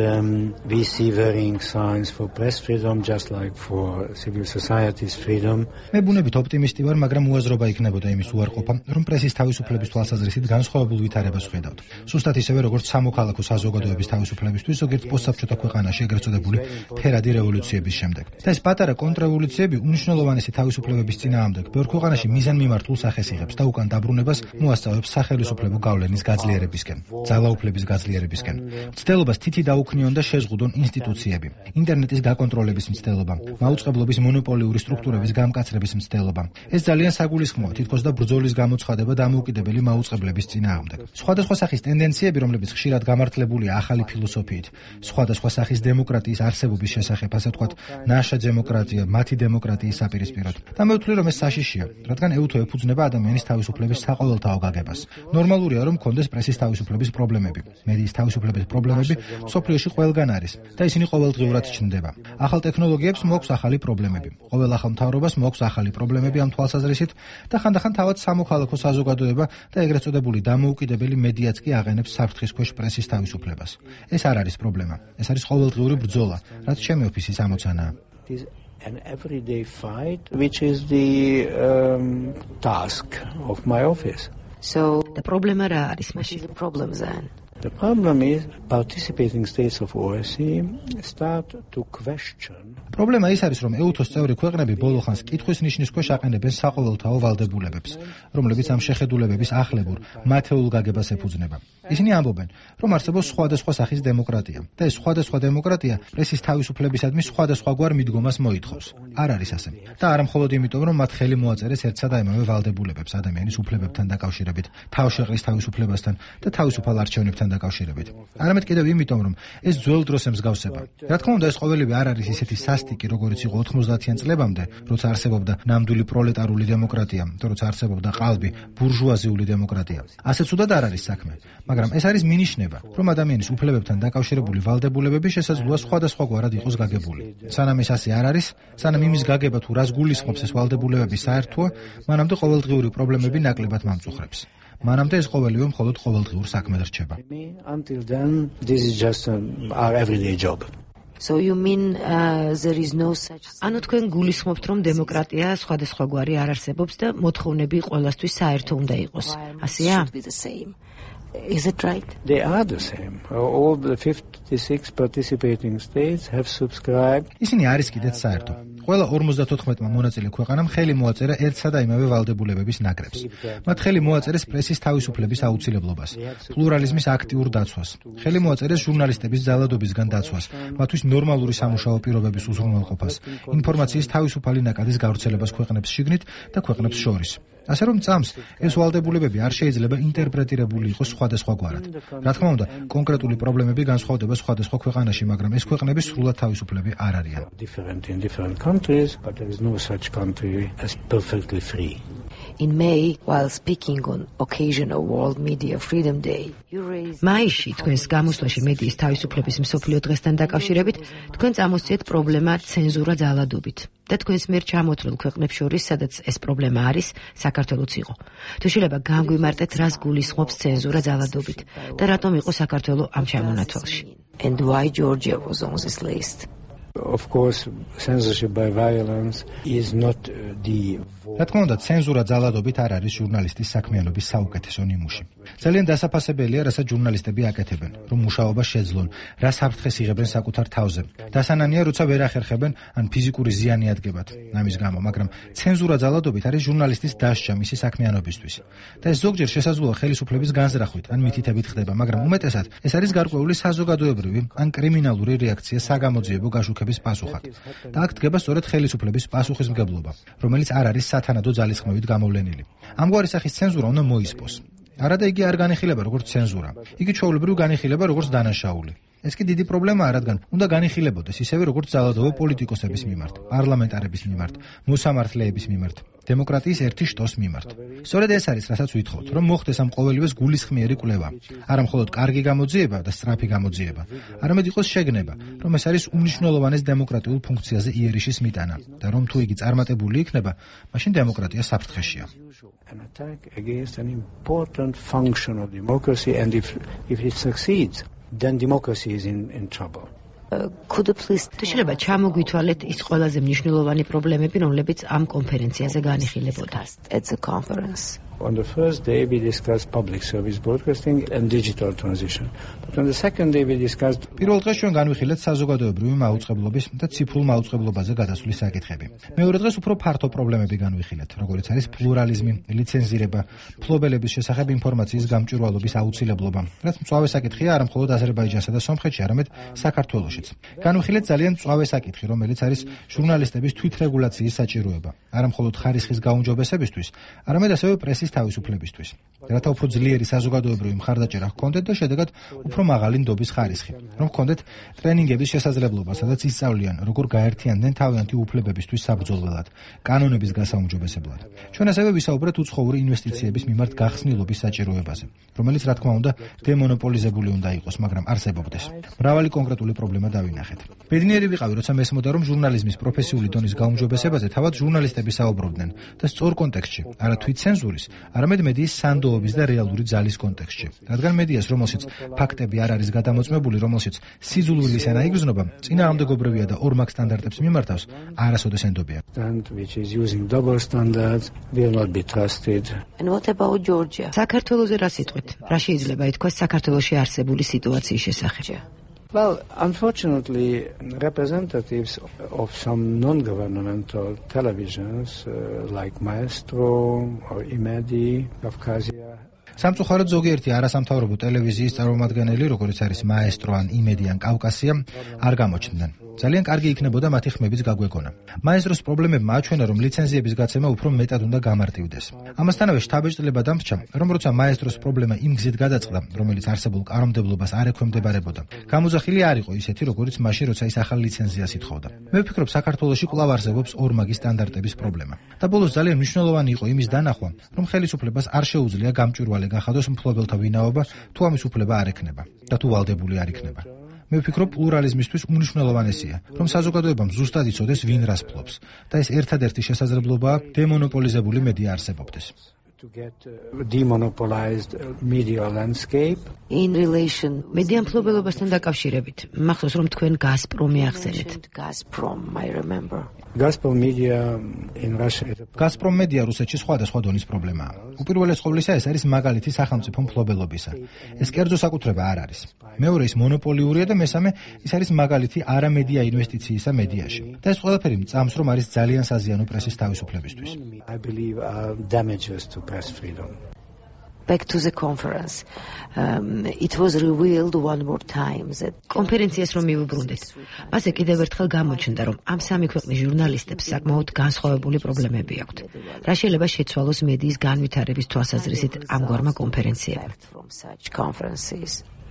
we see varying signs for press freedom, just like for civil society's freedom. მე ბუნებით ოპტიმისტი ვარ, მაგრამ უაზრობა იქნებოდა იმის უარყოფა, რომ პრესის თავისუფლების თვალსაზრისით განსხვავებულ ვითარებას ვხედავთ. სუსტად ისევე, როგორც სამოქალაქო საზოგადოების თავისუფლებისთვის ზოგიერთ პოსტსაბჭოთა ქვეყანაში ეგრეთ წოდებული ფერადი რევოლუციების შემდეგ. და ეს პატარა კონტრრევოლუციები უნიშნულოვანესი თავისუფლებების წინააღმდეგ ბევრ ქვეყანაში მიზანმიმართულ სახეს იღებს და უკან დაბრუნებას მოასწავებს სახელმწიფო გავლენის გაძლიერებისკენ, ძალაუფლების გაძლიერებისკენ. მცდელობას თითი დაუქნიონ და შეზღუდონ ინსტიტუციები, ინტერნეტის გაკონტროლების მცდელობა, მაუწყებლობის მონოპოლიური სტრუქტურების გამკაცრების მცდელობა. ეს ძალიან საგულისხმოა, თითქოს და ბრძოლის გამოცხადება დამოუკიდებელი მაუწყებლების წინააღმდეგ. სხვადასხვა სახის ტენდენციები, რომლებიც ხშირად გამართლებულია ახალი ფილოსოფიით, სხვადასხვა სახის დემოკრატიის არსებობის შესახებ, ასე ვთქვათ, ნაშა დემოკრატია, მათი დემოკრატიის საპირისპიროდ. და მე ვთვლი, რომ ეს საშიშია, რადგან ეუთო ეფუძნება ადამიანის თავისუფლების საყოველთაო გაგებას. ნორმალურია, რომ კონდეს პრესის თავისუფლების პრობლემები. მედიის თავისუფლების პრობლემები სოფლიოში ყველგან არის და ისინი ყოველდღიურად ჩნდება. ახალ ტექნოლოგიებს მოაქვს ახალი პრობლემები. ყოველ ახალ მთავრობას მოაქვს ახალი პრობლემები ამ თვალსაზრისით და ხანდახან თავად სამოქალაქო საზოგადოება და ეგრეთ წოდებული დამოუკიდებელი მედიაც კი აღენებს საფრთხის ქვეშ პრესის თავისუფლებას. ეს არ არის პრობლემა. ეს არის ყოველდღიური ბრძოლა, რაც ჩემი ოფისის ამოცანაა. An everyday fight, which is the task of my office. So the problem რა არის მაშინ? The problem then. The problem is participating states of OSCE start to question. პრობლემა ის არის, რომ ეუთოს წევრი ქვეყნები ბოლო ხანს კითხვის ნიშნის ქვეშ აყენებენ საყოველთაო ვალდებულებებს, რომლებიც ამ შეხედულებების ახლებურ, მათეულ გაგებას ეფუძნება. ისინი ამბობენ, რომ არსებობს სხვადასხვა სახის დემოკრატია და ეს სხვადასხვა დემოკრატია პრესის თავისუფლებისადმი სხვადასხვაგვარ მიდგომას მოითხოვს. არ არის ასე. და არა მხოლოდ იმიტომ, რომ მათ ხელი მოაწერეს ერთსა და იმავე ვალდებულებებს ადამიანის უფლებებთან დაკავშირებით, თავშეყრის თავისუფლებასთან და თავისუფალ არჩევნებთან დაკავშირებით. არამედ კიდევ იმიტომ, რომ ეს ძველ დროს ემსგავსება. რა თქმა უნდა, ეს ყოველივე არ არის ისეთი სასტიკი, როგორც იყო 90-იან წლებამდე, როცა არსებობდა ნამდვილი პროლეტარული დემოკრატია, და როცა არსებობდა ყალბი ბურჟუაზიული დემოკრატია. ასე ცუდად არ არის საქმე, მაგრამ ეს არის მინიშნება, რომ ადამიანის უფლებებთან დაკავშირებული ვალდებულებები შესაძლოა სხვადასხვაგვარად იყოს გაგებული. სანამ ეს ასე არ არის, სანამ იმის გაგება თუ რას გულისხმობს ეს ვალდებულებები საერთოა, მანამდე ყოველდღიური პრობლემები ნაკლებად მამწუხრებს. მანამდე ეს ყოველივე მხოლოდ ყოველდღიურ საქმედ რჩება. Until then, this is just our everyday job. So you mean there is no such ანუ თქვენ გულისხმობთ, რომ დემოკრატია სხვადასხვაგვარი არ არსებობს და მოთხოვნები ყველასთვის საერთო უნდა იყოს. ასეა? Is it right? They are the same. All the 56 participating states have subscribed. ისინი არის კიდეც საერთო. ყველა 54-მა მონაწილე ქვეყანამ ხელი მოაწერა ერთსა და იმავე ვალდებულებების ნაკრებს. მათ ხელი მოაწერეს პრესის თავისუფლების აუცილებლობას, პლურალიზმის აქტიურ დაცვას, ხელი მოაწერეს ჟურნალისტების ძალადობისგან დაცვას, მათთვის ნორმალური სამუშაო პირობების უზრუნველყოფას, ინფორმაციის თავისუფალი ნაკადის გავრცელებას ქვეყნებს შიგნით და ქვეყნებს შორის. ასე რომ წამს ეს ვალდებულებები არ შეიძლება ინტერპრეტირებული იყოს სხვადასხვაგვარად. რა თქმა უნდა, კონკრეტული პრობლემები განსხვავდება სხვადასხვა ქვეყანაში, მაგრამ ეს ქვეყნები სრულად თავისუფლები არ არიან. Different in different countries, but there is no such country as perfectly free. In May, while speaking on occasion of World Media Freedom Day, მაისში თქვენს გამოსვლაში მედიის თავისუფლების მსოფლიო დღესთან დაკავშირებით, თქვენ წამოსწიეთ პრობლემა ცენზურა ძალადობით. და თქვენს მიერ ჩამოთვლილ ქვეყნებს შორის, სადაც ეს პრობლემა არის, საქართველოც იყო. თუ შეიძლება განგვიმარტეთ, რას გულისხმობს ცენზურა ძალადობით და რატომ იყო საქართველო ამ ჩამონათვალში? And why Georgia was on this list? Of course, censorship by violence is not the რა თქმა უნდა, ცენზურა ძალადობით არ არის ჟურნალისტის საქმიანობის საუკეთესო ნიმუში. ძალიან დასაფასებელია, რასაც ჟურნალისტები აკეთებენ, რომ მუშაობა შეძლონ, რა საფრთხეს იღებენ საკუთარ თავზე. დასანანია, როცა ვერ ახერხებენ, ან ფიზიკური ზიანი ადგებათ ამის გამო, მაგრამ ცენზურა ძალადობით არის ჟურნალისტის დასჯა მისი საქმიანობისთვის. და ეს ზოგჯერ შესაძლოა ხელისუფლების განზრახვით, ან მითითებით ხდება, მაგრამ უმეტესად ეს არის გარკვეული საზოგადოებრივი ან კრიმინალური რეაქცია საგამოძიებო გაშუქების პასუხად. და აქ დგება სწორედ ხელისუფლების პასუხისმგებლობა, რომელიც არ არის სათანადო ძალისხმევით გამოვლენილი. ამგვარი სახის ცენზურა უნდა მოისპოს. არადა იგი არ განიხილება როგორც ცენზურა. იგი ჩვეულებრივ განიხილება როგორც დანაშაული. ეს კი დიდი პრობლემაა, რადგან უნდა განიხილებოდეს ისევე როგორც ძალადობა პოლიტიკოსების მიმართ, პარლამენტარების მიმართ, მოსამართლეების მიმართ, დემოკრატიის ერთი შტოს მიმართ. სწორედ ეს არის, რასაც ვითხოვთ, რომ მოხდეს ამ ყოველივეს გულისხმიერი კვლევა. არა მხოლოდ კარგი გამოძიება და სწრაფი გამოძიება, არამედ იყოს შეგნება, რომ ეს არის უმნიშვნელოვანეს დემოკრატიულ ფუნქციაზე იერიშის მიტანა და რომ თუ იგი წარმატებული იქნება, მაშინ დემოკრატია საფრთხეშია. An attack against an important function of democracy, and if it succeeds, then democracy is in trouble. თუ შეიძლება ჩამოგვითვალეთ ის ყველაზე მნიშვნელოვანი პრობლემები, რომლებიც ამ კონფერენციაზე განიხილებოდა. On the first day we discussed public service broadcasting and digital transition. But on the second day we discussed პირველ დღეს ჩვენ განვიხილეთ საზოგადოებრივი მაუწყებლობის და ციფრულ მაუწყებლობაზე გადასვლის საკითხები. მეორე დღეს უფრო ფართო პრობლემები განვიხილეთ, როგორიც არის პლურალიზმი, ლიცენზირება, მფლობელების შესახებ ინფორმაციის გამჭვირვალობის აუცილებლობა, რაც მწვავე საკითხია არა მხოლოდ აზერბაიჯანსა და სომხეთში, არამედ საქართველოშიც. განვიხილეთ ძალიან მწვავე საკითხი, რომელიც არის ჟურნალისტების თვითრეგულაციის საჭიროება, არა მხოლოდ ხარისხის გაუმჯობესებისთვის, არამედ ასევე პრესის თავისუფლებისთვის. რათა უფრო ძლიერი საზოგადოებრივი მხარდაჭერა ჰქონდეთ და შედეგად უფრო მაღალი ნდობის ხარისხი, რომ ჰქონდეთ ტრენინგების შესაძლებლობა, სადაც ისწავლიან, როგორ გაერთიანდნენ თავიანთი უფლებებისთვის საბრძოლველად, კანონების გასაუმჯობესებლად. ჩვენ ასევე ვისაუბრეთ უცხოური ინვესტიციების მიმართ გახსნილობის საჭიროებაზე, რომელიც რა თქმა უნდა დემონოპოლიზებული უნდა იყოს, მაგრამ არსებობდეს. მრავალი კონკრეტული პრობლემა დავინახეთ. ბედნიერი ვიყავი, როცა მესმოდა, რომ ჟურნალიზმის პროფესიული დონის გაუმჯობესებაზე თავად ჟურნალისტები საუბრობდნენ და სწორ კონტექსტში, არა თვითცენზურის, არამედ მედიის სანდოობის და რეალური ძალის კონტექსტში. რადგან მედიას, რომელშიც ფაქტები არ არის გადამოწმებული, რომელშიც სიძულვილის ენა იგრძნობა, წინააღმდეგობრივია და ორმაგ სტანდარტებს მიმართავს, არასოდეს ენდობია. which is using double standards will not be trusted. And what about Georgia? საქართველოზე რა სიტყვით? რა შეიძლება ითქვას საქართველოში არსებული სიტუაციის შესახებ? Well, unfortunately, representatives of some non-governmental televisions like Maestro or Imedi, Kafkazia. სამწუხაროდ ზოგიერთი არასამთავრობო ტელევიზიის წარმომადგენელი, როგორც არის მაესტრო ან იმედი ან კავკასია, არ გამოჩნდნენ. ძალიან კარგი იქნებოდა მათი ხმების გაგვეკონა. მაესტროს პრობლემებმა აჩვენა, რომ ლიცენზიების გაცემა უფრო მეტად უნდა გამარტივდეს. ამასთანავე შთაბეჭდილება დამრჩა, რომ როცა მაესტროს პრობლემა იმ გზით გადაწყდა, რომელიც არსებულ კანონმდებლობას არ ექვემდებარებოდა, გამოძახილი არ იყო ისეთი, როგორც მაშინ, როცა ის ახალ ლიცენზიას ითხოვდა. მე ვფიქრობ, საქართველოში კვლავ არსებობს ორმაგი სტანდარტების პრობლემა. და ბოლოს ძალიან მნიშვნელოვანი იყო იმის დანახვა, რომ ხელისუფლებას არ შეუძლია გამჭვირვალე გახადოს მფლობელთა ვინაობა, თუ ამის უფლება არ ექნება და თუ ვალდებული არ იქნება. მე ვფიქრობ, პლურალიზმისთვის უმნიშვნელოვანესია, რომ საზოგადოებამ ზუსტად იცოდეს, ვინ რას ფლობს და ეს ერთადერთი შესაძლებლობაა დემონოპოლიზებული მედია არსებობდეს. To get demonopolized media landscape in relation მედია მფლობელობასთან დაკავშირებით. მახსოვს, რომ თქვენ გაზპრომი ახსენეთ. Gazprom, I remember. Gazprom media in Russia. Gazprom media რუსეთში სხვადასხვა დონის პრობლემაა. უპირველეს ყოვლისა ეს არის მაგალითი სახელმწიფო მფლობელობისა. ეს კერძო საკუთრება არ არის. მეორე ის მონოპოლიურია და მესამე ის არის მაგალითი არამედია ინვესტიციისა მედიაში. და ეს ყველაფერი მწამს, რომ არის ძალიან საზიანო პრესის თავისუფლებისთვის. I believe damages to press freedom. Back to the conference. It was revealed one more time that კონფერენციას რომ მივუბრუნდეთ. მასე კიდევ ერთხელ გამოჩნდა, რომ ამ სამი ქვეყნის ჟურნალისტებს საკმაოდ განსხვავებული პრობლემები აქვთ. რა შეიძლება შეცვალოს მედიის განვითარების თვალსაზრისით ამგვარმა კონფერენციებმა?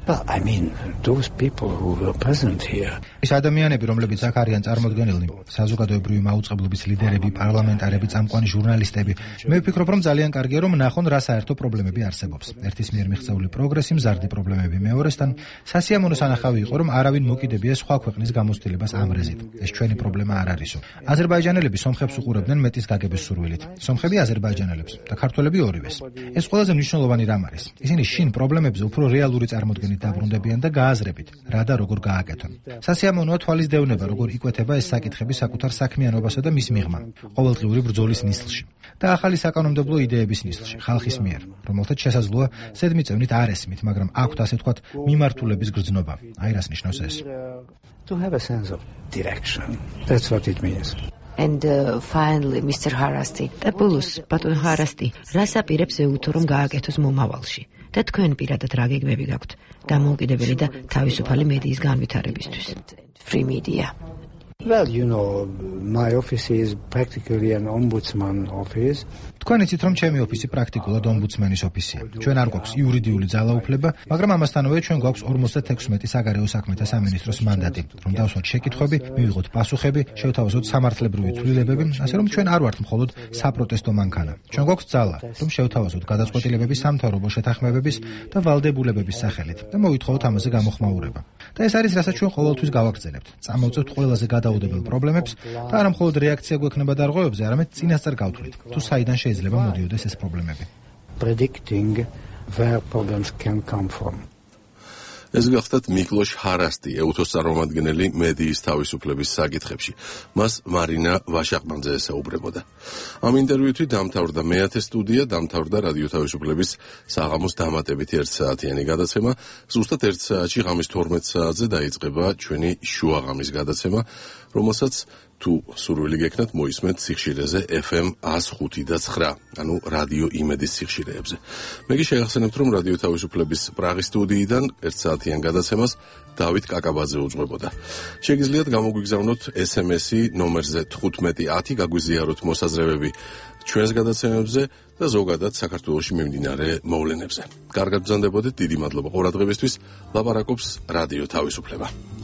Well, I mean, those people who were present here. ის ადამიანები, რომლებიც აქ არიან წარმოდგენილნი, საზოგადოებრივი მაუწყებლობის ლიდერები, პარლამენტარები, წამყვანი ჟურნალისტები, მე ვფიქრობ, რომ ძალიან კარგია, რომ ნახონ რა საერთო პრობლემები არსებობს. ერთის მიერ მიღწეული პროგრესი, მზარდი პრობლემები მეორესთან, სასიამოვნო სანახავი იყო, რომ არავინ მოკიდებია სხვა ქვეყნის გამოცდილებას ამრეზით. ეს ჩვენი პრობლემა არ არისო. აზერბაიჯანელები სომხებს უყურებდნენ მეტის გაგების სურვილით. სომხები აზერბაიჯანელებს და ქართველები ორივეს. ეს ყველაზე მნიშვნელოვანი რამ არის. ისინი შინ პრობლემებზე უფრო რეალური წარმოდგენით დაბრუნდებიან და გააზრებით, რა და როგორ გააკეთონ. სასიამოვნოა თვალის დევნება, როგორ იკვეთება ეს საკითხები საკუთარ საქმიანობასა და მის მიღმა, ყოველდღიური ბრძოლის ნისლში და ახალი საკანონმდებლო იდეების ნისლში, ხალხის მიერ, რომელთაც შესაძლოა ზედმიწევნით არ ესმით, მაგრამ აქვთ ასე თქვათ მიმართულების გრძნობა. აი რას ნიშნავს ეს. To have a sense of direction. That's what it means. And finally, Mr. Harasti, და ბოლოს, ბატონ Harasti, რას აპირებს ეუთო, რომ გააკეთოს მომავალში? და თქვენ პირადად რა გეგმები გაქვთ დამოუკიდებელი და თავისუფალი მედიის განვითარებისთვის? Free media. Well, you know, my office is practically an ombudsman office. თქვენ იცით, რომ ჩემი ოფისი პრაქტიკულად ომბუდსმენის ოფისია. ჩვენ არ გვაქვს იურიდიული ძალაუფლება, მაგრამ ამასთანავე ჩვენ გვაქვს 56 საგარეო საქმეთა სამინისტროს მანდატი, რომ დავსვათ შეკითხვები, მივიღოთ პასუხები, შევთავაზოთ სამართლებრივი ცვლილებები, ასე რომ ჩვენ არ ვართ მხოლოდ საპროტესტო მანქანა. ჩვენ გვაქვს ძალა, რომ შევთავაზოთ გადაწყვეტილებები სამთავრობო შეთანხმებების და ვალდებულებების სახელით და მოვითხოვოთ ამაზე გამოხმაურება. და ეს არის, რასაც ჩვენ ყოველთვის გავაგრძელებთ. წამოვწევთ ყველაზე გადაუდებელ პრობლემებს და არა მხოლოდ რეაქცია გვექნება დარღვევებზე, არამედ წინასწარ გავთვლით, თუ საიდან შეიძლება მოდიოდეს ეს პრობლემები. Predicting where problems can come from. ეს გახლდათ მიკლოშ ჰარასტი, ეუთოს წარმომადგენელი მედიის თავისუფლების საკითხებში. მას მარინა ვაშაყმანძე ესაუბრებოდა. ამ ინტერვიუთი დამთავრდა მეათე სტუდია, დამთავრდა რადიო თავისუფლების საღამოს დამატებითი 1 საათიანი გადაცემა. ზუსტად 1 საათში ღამის 12 საათზე დაიწყება ჩვენი შუაღამის გადაცემა, რომელსაც თუ სურვილი გექნათ მოისმენთ სიხშირეზე FM 105.9, ანუ რადიო იმედის სიხშირეებზე. მე კი შეგახსენებთ, რომ რადიო თავისუფლების პრაღის სტუდიიდან 1 საათიან გადაცემას დავით კაკაბაძე უძღვებოდა. შეგიძლიათ გამოგვიგზავნოთ SMS-ი ნომერზე 1510, გაგვიზიაროთ მოსაზრებები ჩვენს გადაცემებზე და ზოგადად საქართველოში მიმდინარე მოვლენებზე. კარგად ბრძანდებოდეთ, დიდი მადლობა ყურადღებისთვის. ლაპარაკობს რადიო თავისუფლება.